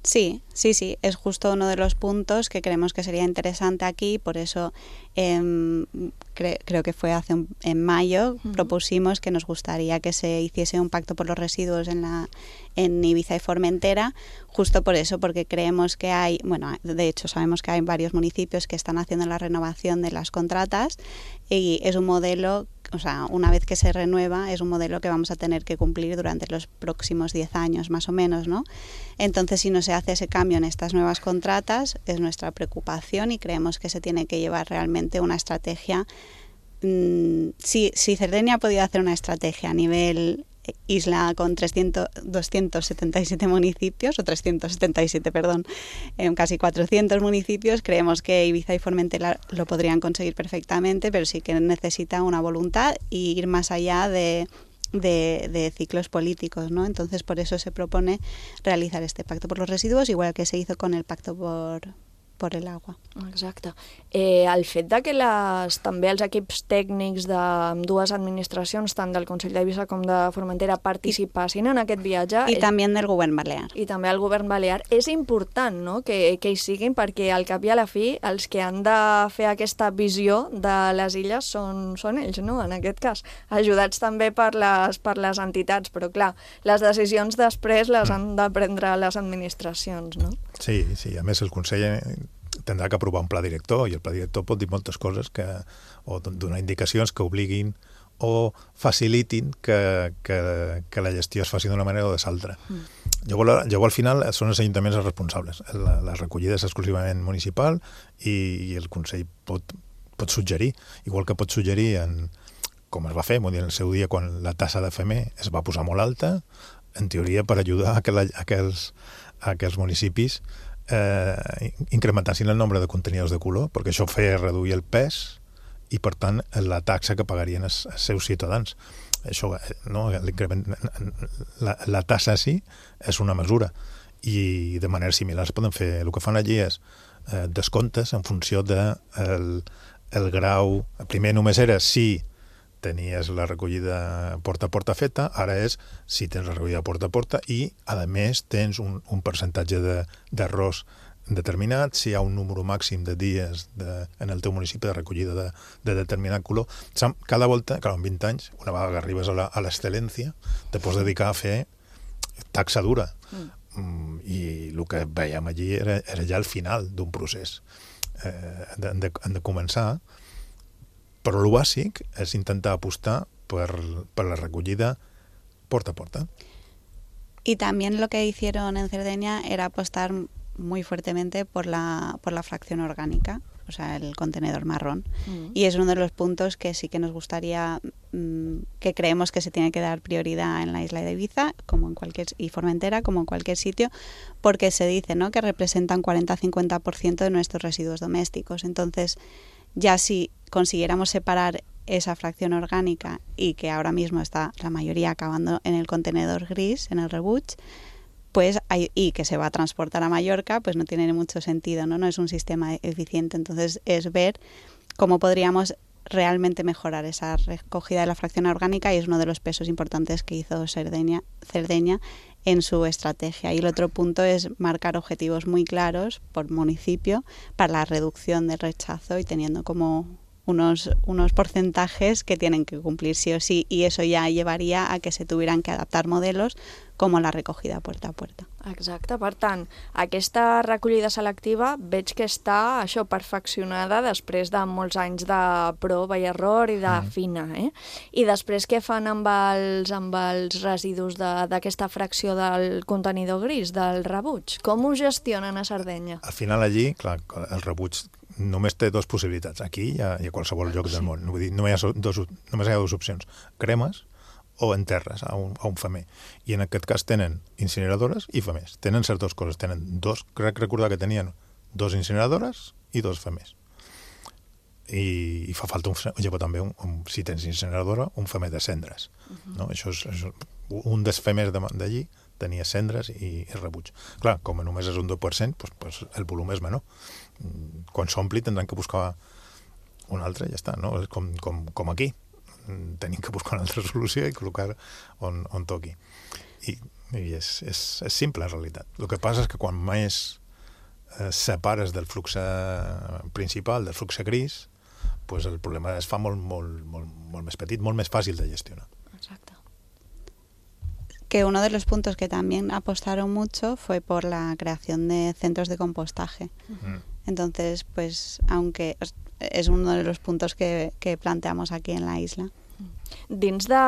Sí, sí, sí, es justo uno de los puntos que creemos que sería interesante aquí, por eso eh, cre creo que fue hace un, en mayo, uh-huh. propusimos que nos gustaría que se hiciese un pacto por los residuos en, la, en Ibiza y Formentera, justo por eso, porque creemos que hay, bueno, de hecho sabemos que hay varios municipios que están haciendo la renovación de las contratas y es un modelo o sea, una vez que se renueva, es un modelo que vamos a tener que cumplir durante los próximos diez años, más o menos, ¿no? Entonces, si no se hace ese cambio en estas nuevas contratas, es nuestra preocupación y creemos que se tiene que llevar realmente una estrategia. Mmm, si, si Cerdeña ha podido hacer una estrategia a nivel isla con trescientos, doscientos setenta y siete municipios, o trescientos setenta y siete, perdón, eh, casi cuatrocientos municipios, creemos que Ibiza y Formentera lo podrían conseguir perfectamente, pero sí que necesita una voluntad y ir más allá de, de, de ciclos políticos, ¿no? Entonces, por eso se propone realizar este pacto por los residuos, igual que se hizo con el pacto por... por el agua. Exacte. Eh, el fet de que les, també els equips tècnics de dues administracions, tant del Consell d'Eivissa com de Formentera, participassin en aquest viatge... I és, també del govern balear. I també el govern balear. És important, no?, que, que hi siguin, perquè al cap i a la fi els que han de fer aquesta visió de les illes són, són ells, no?, en aquest cas. Ajudats també per les, per les entitats, però clar, les decisions després les han de prendre les administracions, no? Sí, sí, a més el Consell tindrà que aprovar un pla director i el pla director pot dir moltes coses que, o donar indicacions que obliguin o facilitin que, que, que la gestió es faci d'una manera o de l'altra. Mm. Llavors, llavors, al final, són els ajuntaments els responsables. La, la recollida és exclusivament municipal i, i el Consell pot, pot suggerir, igual que pot suggerir, en, com es va fer en el seu dia quan la tassa de F M es va posar molt alta, en teoria per ajudar a que la, a aquells, a aquells municipis eh, incrementassin el nombre de contenidors de color, perquè això feia reduir el pes i, per tant, la taxa que pagarien els, els seus ciutadans. Això, no, la, la tassa sí és una mesura i de manera similar es poden fer. El que fan allí és eh, descomptes en funció de el, el grau. Primer només era si tenies la recollida porta a porta feta, ara és si tens la recollida porta a porta i, a més, tens un, un percentatge d'arròs de, determinat, si hi ha un número màxim de dies de, en el teu municipi de recollida de, de determinat color. Cada volta, clar, en vint anys, una vegada que arribes a l'excel·lència, te pots dedicar a fer taxa dura. Mm. I el que veiem allí era, era ja el final d'un procés. Eh, han, de, han de començar, però el bàsic és intentar apostar per, per la recollida porta a porta. Y también lo que hicieron en Cerdeña era apostar muy fuertemente por la, por la fracción orgánica, o sea, el contenedor marrón. Mm. Y es uno de los puntos que sí que nos gustaría, mmm, que creemos que se tiene que dar prioridad en la isla de Ibiza, como en cualquier, y Formentera, como en cualquier sitio, porque se dice, ¿no?, que representan cuarenta a cincuenta por ciento de nuestros residuos domésticos. Entonces, ya si consiguiéramos separar esa fracción orgánica y que ahora mismo está la mayoría acabando en el contenedor gris, en el rebuig, pues hay, y que se va a transportar a Mallorca, pues no tiene mucho sentido, ¿no? No es un sistema eficiente. Entonces es ver cómo podríamos realmente mejorar esa recogida de la fracción orgánica y es uno de los pesos importantes que hizo Cerdeña, Cerdeña en su estrategia. Y el otro punto es marcar objetivos muy claros por municipio para la reducción del rechazo y teniendo como unos, unos porcentajes que tienen que cumplir sí o sí, y eso ja llevaria a que se tuvieran que adaptar modelos com la recollida puerta a puerta. Exacte, per tant, aquesta recollida selectiva veig que està això perfeccionada després de molts anys de prova i error i de mm. fina, eh? I després què fan amb els, amb els residus d'aquesta fracció del contenidor gris, del rebuig? Com ho gestionen a Sardenya? Al final allí, clar, el rebuig només té dues possibilitats. Aquí i a, i a qualsevol lloc del món. Vull dir, només hi ha dos, només hi ha dues opcions. Cremes o enterres a un, a un femer. I en aquest cas tenen incineradores i femers. Tenen certes dues coses. Tenen dos, crec recordar que tenien dos incineradores i dos femers. I, i fa falta un, llavors també, un, un, si tens incineradora, un femer de cendres. Uh-huh. No? Això és, és, un dels femers d'allí tenia cendres i, i rebuig. Clar, com només és un deu per cent, doncs, doncs el volum és menor. Quan s'ompli tindran que buscar un altre i ja està, no? Com, com, com aquí. Tenim que buscar una altra solució i col·locar on, on toqui. I, i és, és, és simple, en realitat. El que passa és que quan més eh, separes del flux principal, del flux gris, pues el problema es fa molt, molt, molt, molt més petit, molt més fàcil de gestionar. Exacto. Que uno de los puntos que también apostaron mucho fue por la creación de centros de compostaje. Uh-huh. Entonces, pues, aunque es uno de los puntos que, que planteamos aquí en la isla. Dins de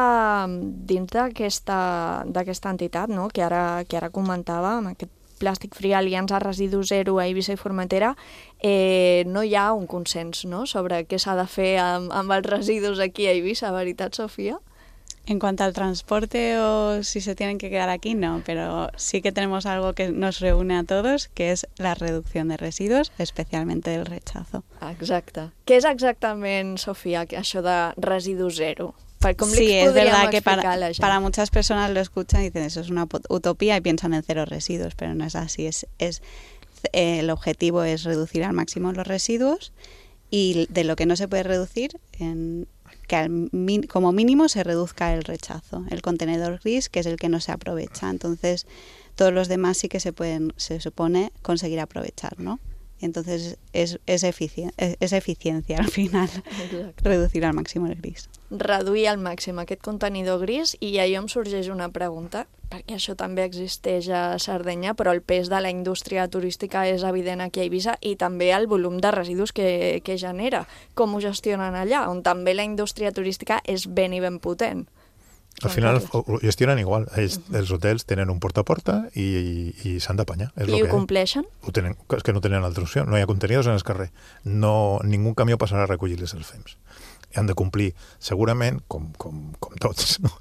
dins d'aquesta d'aquesta entitat, no?, que ara que ara comentava, amb aquest Plàstic Free, Aliança Residu Zero a Eivissa i Formentera, eh, no hi ha un consens, no?, sobre què s'ha de fer amb, amb els residus aquí a Eivissa, ¿veritat, Sofía? En cuanto al transporte o si se tienen que quedar aquí, no, pero sí que tenemos algo que nos reúne a todos, que es la reducción de residuos, especialmente del rechazo. Exacte. Què és exactament, Sofía, això de residu zero? Sí, es verdad que para, para muchas personas lo escuchan y dicen eso es una utopía y piensan en cero residuos, pero no es así. Es, es, eh, el objetivo es reducir al máximo los residuos y de lo que no se puede reducir, en, que al, como mínimo se reduzca el rechazo, el contenedor gris, que es el que no se aprovecha. Entonces, todos los demás sí que se pueden, se supone, conseguir aprovechar, ¿no? Entonces, es, es, efici es, es eficiencia al final, exacte, reducir al màxim el gris. Reduir al màxim aquest contenidor gris, i allò em sorgeix una pregunta, perquè això també existeix a Sardenya, però el pes de la indústria turística és evident aquí a Eivissa i també el volum de residus que, que genera. Com ho gestionen allà, on també la indústria turística és ben i ben potent? Al final ho gestionen igual. Ells, els hotels tenen un porta a porta i, i, i s'han d'apanyar. I ho compleixen? Ho tenen, és que no tenen altra opció. No hi ha contenidors en el carrer. No, ningú camió passarà a recollir-les els fems. I han de complir, segurament, com, com, com tots, no?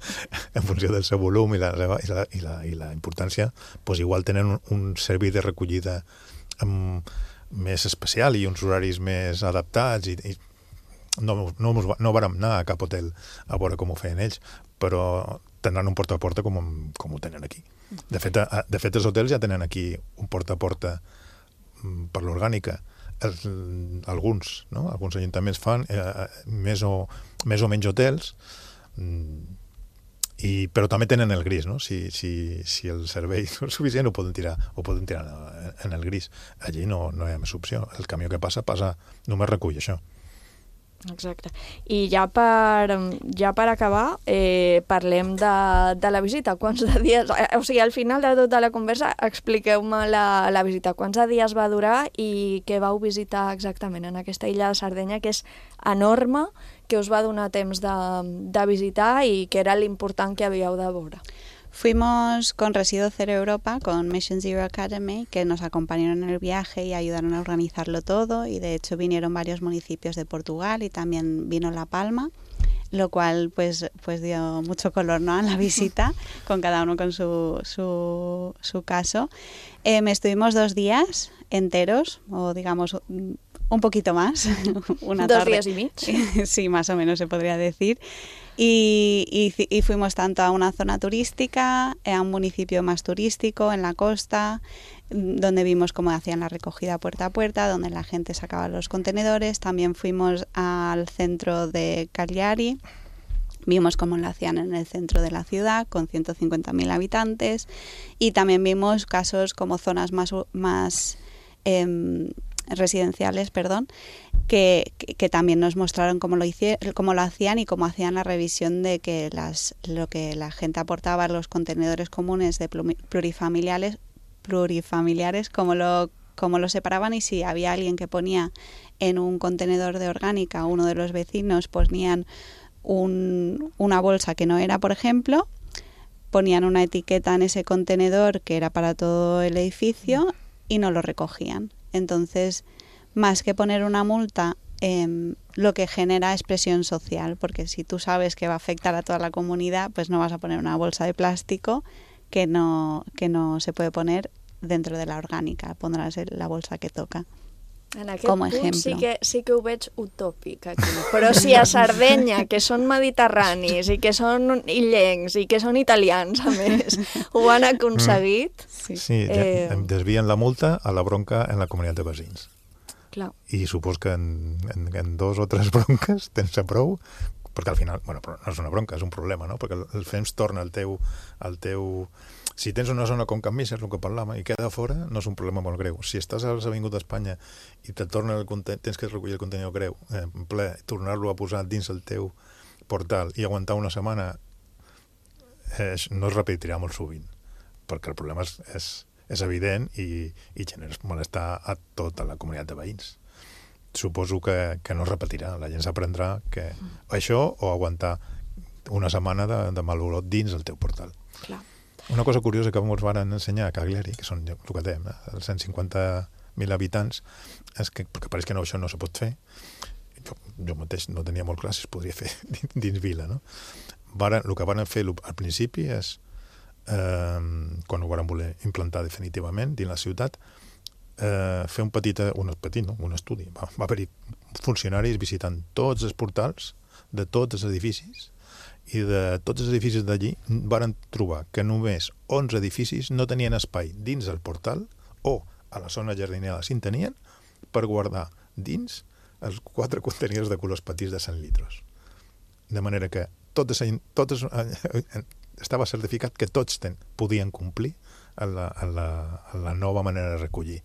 En funció del seu volum i la, i la, i la, i la importància, doncs igual tenen un, un servei de recollida um, més especial i uns horaris més adaptats i, i no, no, no vàrem anar a cap hotel a veure com ho feien ells, però tindran un porta a porta com, com ho tenen aquí. De fet, a, de fet, els hotels ja tenen aquí un porta a porta per l'orgànica. Els, alguns, no? Alguns ajuntaments fan eh, més, o, més o menys hotels, i, però també tenen el gris, no? Si, si, si el servei no és suficient ho poden tirar, ho poden tirar en el gris. Allí no, no hi ha més opció. El camió que passa, passa, només recull això. Exacte. I ja per, ja per acabar, eh, parlem de, de la visita. Quants de dies... O sigui, al final de tota la conversa, expliqueu-me la, la visita. Quants de dies va durar i què vau visitar exactament en aquesta illa de Sardenya, que és enorme, que us va donar temps de, de visitar i que era l'important que havíeu de veure? Fuimos con Residuo Cero Europa, con Mission Zero Academy, que nos acompañaron en el viaje y ayudaron a organizarlo todo, y de hecho vinieron varios municipios de Portugal y también vino La Palma, lo cual pues, pues dio mucho color, ¿no?, a la visita, con cada uno con su, su, su caso. Eh, estuvimos dos días enteros, o digamos un poquito más. Una ¿Dos tarde. días y medio? Sí, más o menos se podría decir. Y, y, y fuimos tanto a una zona turística, a un municipio más turístico, en la costa, donde vimos cómo hacían la recogida puerta a puerta, donde la gente sacaba los contenedores. También fuimos al centro de Cagliari, vimos cómo lo hacían en el centro de la ciudad, con ciento cincuenta mil habitantes, y también vimos casos como zonas más... más eh, residenciales, perdón, que, que, que también nos mostraron cómo lo, hici- cómo lo hacían y cómo hacían la revisión de que las, lo que la gente aportaba a los contenedores comunes de plurifamiliares, plurifamiliares cómo lo, cómo lo separaban, y si había alguien que ponía en un contenedor de orgánica, uno de los vecinos ponían un, una bolsa que no era, por ejemplo, ponían una etiqueta en ese contenedor que era para todo el edificio y no lo recogían. Entonces, más que poner una multa, eh, lo que genera es presión social, porque si tú sabes que va a afectar a toda la comunidad, pues no vas a poner una bolsa de plástico que no, que no se puede poner dentro de la orgánica, pondrás la bolsa que toca. En aquest com a punt ejemplo. sí que, sí que ho veig utòpic aquí. Però si a Sardenya, que són mediterranis i que són illencs i que són italians, a més, ho han aconseguit... Sí, sí eh... desvien la multa a la bronca en la comunitat de veïns. Clar. I supos que en, en, en dos o tres bronques tens prou, perquè al final, bueno, però no és una bronca, és un problema, no? Perquè el fems torna al teu... Al teu... Si tens una zona com Can Missa, és el que parlàvem, i queda fora, no és un problema molt greu. Si estàs a l'Avingut d'Espanya i te torna el conten... tens que recollir el contenidor greu, eh, en ple, tornar-lo a posar dins el teu portal i aguantar una setmana, eh, no es repetirà molt sovint, perquè el problema és, és, és evident i, i genera malestar a tota la comunitat de veïns. Suposo que, que no es repetirà, la gent s'aprendrà que això, o aguantar una setmana de, de mal olor dins el teu portal. Clar. Una cosa curiosa que ens van ensenyar a Cagliari, que són el que dèiem, eh, els cent cinquanta mil habitants, és que, perquè pareix que no, això no se pot fer, jo, jo mateix no tenia molt clar si es podria fer dins, dins vila, no? Varen, el que van fer al principi és, eh, quan ho van voler implantar definitivament dins la ciutat, eh, fer un petit, un petit no? un estudi. Va, va haver-hi funcionaris visitant tots els portals de tots els edificis, i de tots els edificis d'allí varen trobar que només onze edificis no tenien espai dins el portal o a la zona jardinera si en tenien per guardar dins els quatre contenidors de colors petits de cent litres. De manera que totes, totes, estava certificat que tots ten, podien complir a la, a, la, a la nova manera de recollir.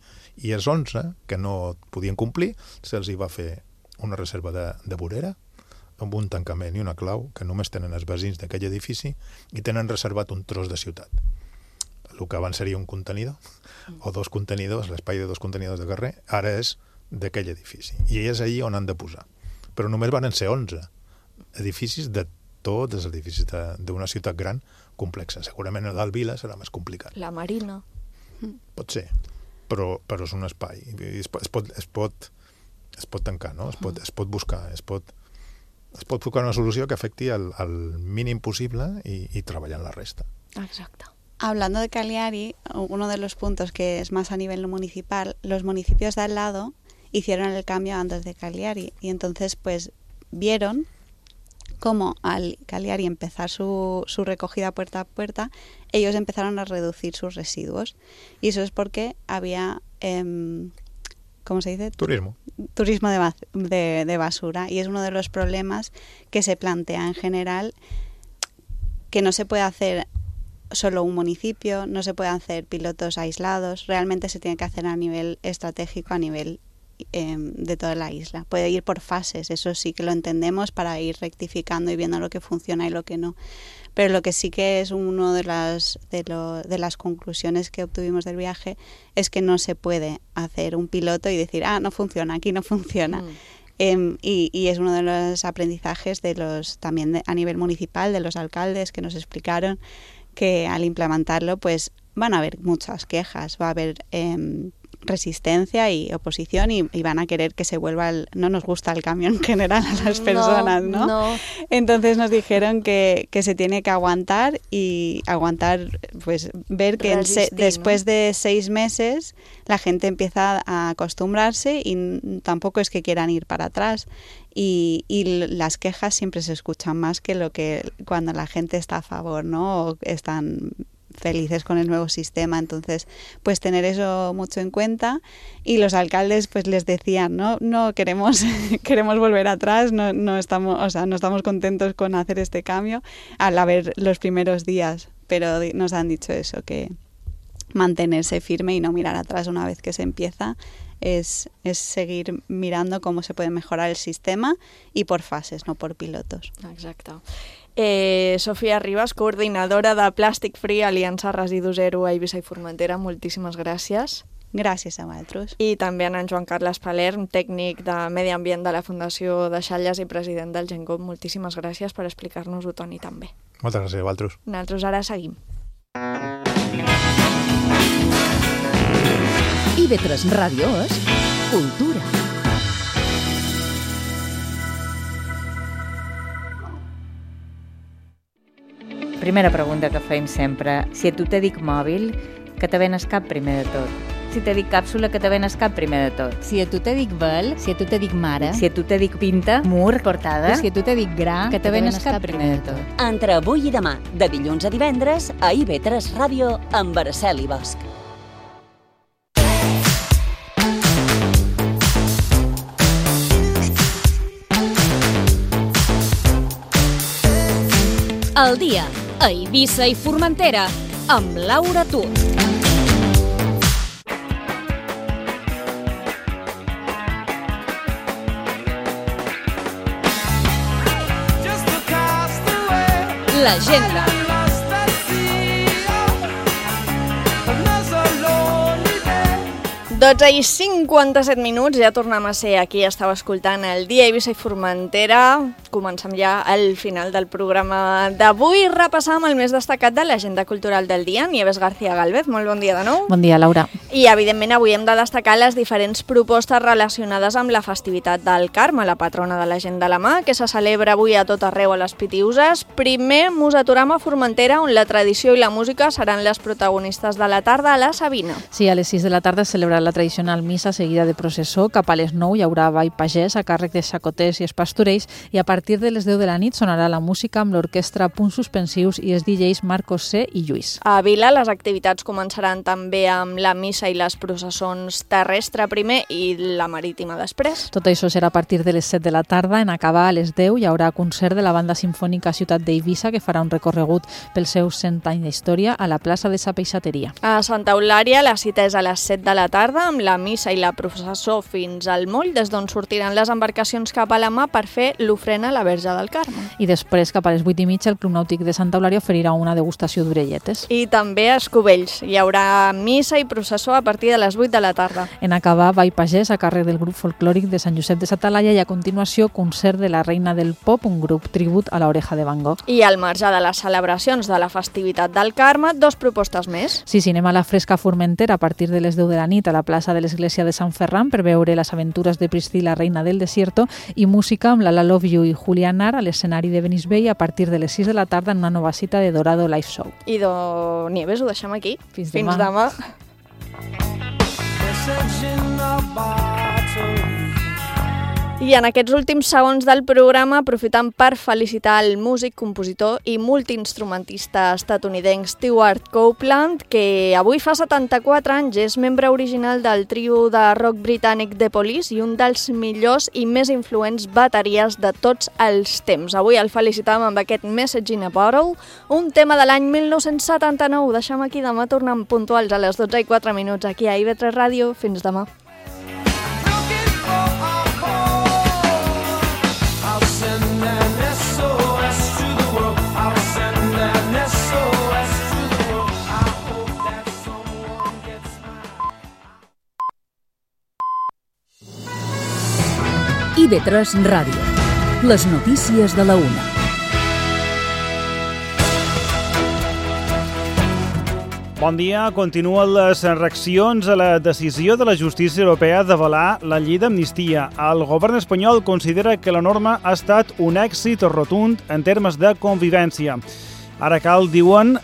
I els onze que no podien complir se'ls hi va fer una reserva de, de vorera amb un tancament i una clau que només tenen els veïns d'aquell edifici i tenen reservat un tros de ciutat. El que abans seria un contenidor o dos contenidors, l'espai de dos contenidors de carrer, ara és d'aquell edifici. I és allí on han de posar. Però només van ser onze edificis de tots els edificis d'una ciutat gran complexa. Segurament el d'Alvila serà més complicat. La Marina. Pot ser, però, però és un espai. Es pot, es pot, es pot, es pot tancar, no? Es pot, es pot buscar, es pot... es pot buscar una solució que afecti al, al mínim possible y, y treballar en la resta. Exacto. Hablando de Cagliari, uno de los puntos que es más a nivel municipal, los municipios de al lado hicieron el cambio antes de Cagliari y entonces pues vieron cómo al Cagliari empezar su, su recogida puerta a puerta, ellos empezaron a reducir sus residuos y eso es porque había... Eh, ¿cómo se dice? Turismo. Turismo de, de, de basura. Y es uno de los problemas que se plantea en general, que no se puede hacer solo un municipio, no se puede hacer pilotos aislados, realmente se tiene que hacer a nivel estratégico, a nivel eh, de toda la isla. Puede ir por fases, eso sí que lo entendemos, para ir rectificando y viendo lo que funciona y lo que no. Pero lo que sí que es una de las, de, lo, de las conclusiones que obtuvimos del viaje es que no se puede hacer un piloto y decir, ah, no funciona, aquí no funciona. Mm. Eh, y, y es uno de los aprendizajes de los también de, a nivel municipal, de los alcaldes que nos explicaron que al implementarlo pues van a haber muchas quejas, va a haber... Eh, resistencia y oposición y, y van a querer que se vuelva el, no nos gusta el cambio en general a las personas, ¿no? No, no. Entonces nos dijeron que, que se tiene que aguantar y aguantar, pues ver que en se, después ¿no? de seis meses la gente empieza a acostumbrarse y tampoco es que quieran ir para atrás. Y, y las quejas siempre se escuchan más que lo que cuando la gente está a favor, ¿no? O están felices con el nuevo sistema. Entonces pues tener eso mucho en cuenta, y los alcaldes pues les decían no no queremos queremos volver atrás, no no estamos, o sea, no estamos contentos con hacer este cambio al haber los primeros días, pero nos han dicho eso, que mantenerse firme y no mirar atrás una vez que se empieza, es, es seguir mirando cómo se puede mejorar el sistema y por fases, no por pilotos. Exacte. Eh, Sofia Ribas, coordinadora de Plàstic Free, Aliança Residu Zero a Eivissa i Formentera, moltíssimes gràcies. Gràcies a vosaltres. I també a en Joan Carles Palern, tècnic de Medi Ambient de la Fundació de Xalles i president del Gengop. Moltíssimes gràcies per explicar-nos-ho, Toni, també. Moltes gràcies a vosaltres. Nosaltres ara seguim. I ve tres Ràdio és cultura. Primera pregunta que feim sempre. Si a tu te dic mòbil, que te ven al cap primer de tot? Si te dic càpsula, que te ven al cap primer de tot? Si a tu te dic vel, si a tu te dic mare, si a tu te dic pinta, mur, portada, si a tu te dic gra, que te ven al cap primer de tot? Entre avui i demà, de dilluns a divendres, a I V tres Ràdio, amb Araceli Bosch. El dia a Eivissa i Formentera amb Laura Tur. L'agenda. dotze i cinquanta-set minuts, ja tornem a ser aquí, estàu escoltant el Dia Eivissa i Formentera. Comencem ja al final del programa d'avui, repassam el més destacat de l'agenda cultural del dia. Nieves García Galvez, molt bon dia de nou. Bon dia, Laura. I evidentment avui hem de destacar les diferents propostes relacionades amb la festivitat del Carme, la patrona de la gent de la mà, que se celebra avui a tot arreu a les Pitiüses. Primer mos aturem a Formentera, on la tradició i la música seran les protagonistes de la tarda a la Sabina. Sí, a les sis de la tarda es celebra la tradicional missa seguida de processó. Cap a les nou hi haurà ball pagès a càrrec de xacoters i espastorells i a partir de les deu de la nit sonarà la música amb l'orquestra Punts Suspensius i els D Js Marcos C. i Lluís. A Vila les activitats començaran també amb la missa i les processons terrestre primer i la marítima després. Tot això serà a partir de les set de la tarda. En acabar a les deu hi haurà concert de la Banda Simfònica Ciutat d'Eivissa que farà un recorregut pels seus cent anys d'història a la plaça de sa Peixateria. A Santa Eulària la cita és a les set de la tarda amb la missa i la processó fins al moll, des d'on sortiran les embarcacions cap a la mà per fer l'ofrena a la Verge del Carme. I després, cap a les vuit i mitja, el Club Nàutic de Santa Eulària oferirà una degustació d'orelletes. I també a Escovells. Hi haurà missa i processó a partir de les vuit de la tarda. En acabar, ball pagès a càrrec del grup folclòric de Sant Josep de sa Talaia i a continuació concert de la Reina del Pop, un grup tribut a l'Oreja de Van Gogh. I al marge de les celebracions de la festivitat del Carme, dos propostes més. Sí, cinema a la Fresca Formentera a partir de les deu de la nit a la plaça de l'església de Sant Ferran per veure les aventures de Priscila, reina del desierto, i música amb la La Love You i Julián Nar a l'escenari de Benisbell a partir de les sis de la tarda en una nova cita de Dorado Live Show. I do Nieves, ho deixem aquí. Fins, Fins demà. I en aquests últims segons del programa, aprofitant per felicitar el músic, compositor i multiinstrumentista estatunidenc Stewart Copeland, que avui fa setanta-quatre anys, és membre original del trio de rock britànic The Police i un dels millors i més influents bateries de tots els temps. Avui el felicitàvem amb aquest Message in a Bottle, un tema de l'any mil nou-cents setanta-nou. Ho deixem aquí, demà tornem puntuals a les dotze i quatre minuts aquí a I V tres Ràdio. Fins demà. I V tres Ràdio. Les notícies de la una. Bon dia. Continuen les reaccions a la decisió de la justícia europea d'avalar la llei d'amnistia. El govern espanyol considera que la norma ha estat un èxit rotund en termes de convivència. Ara cal, diuen,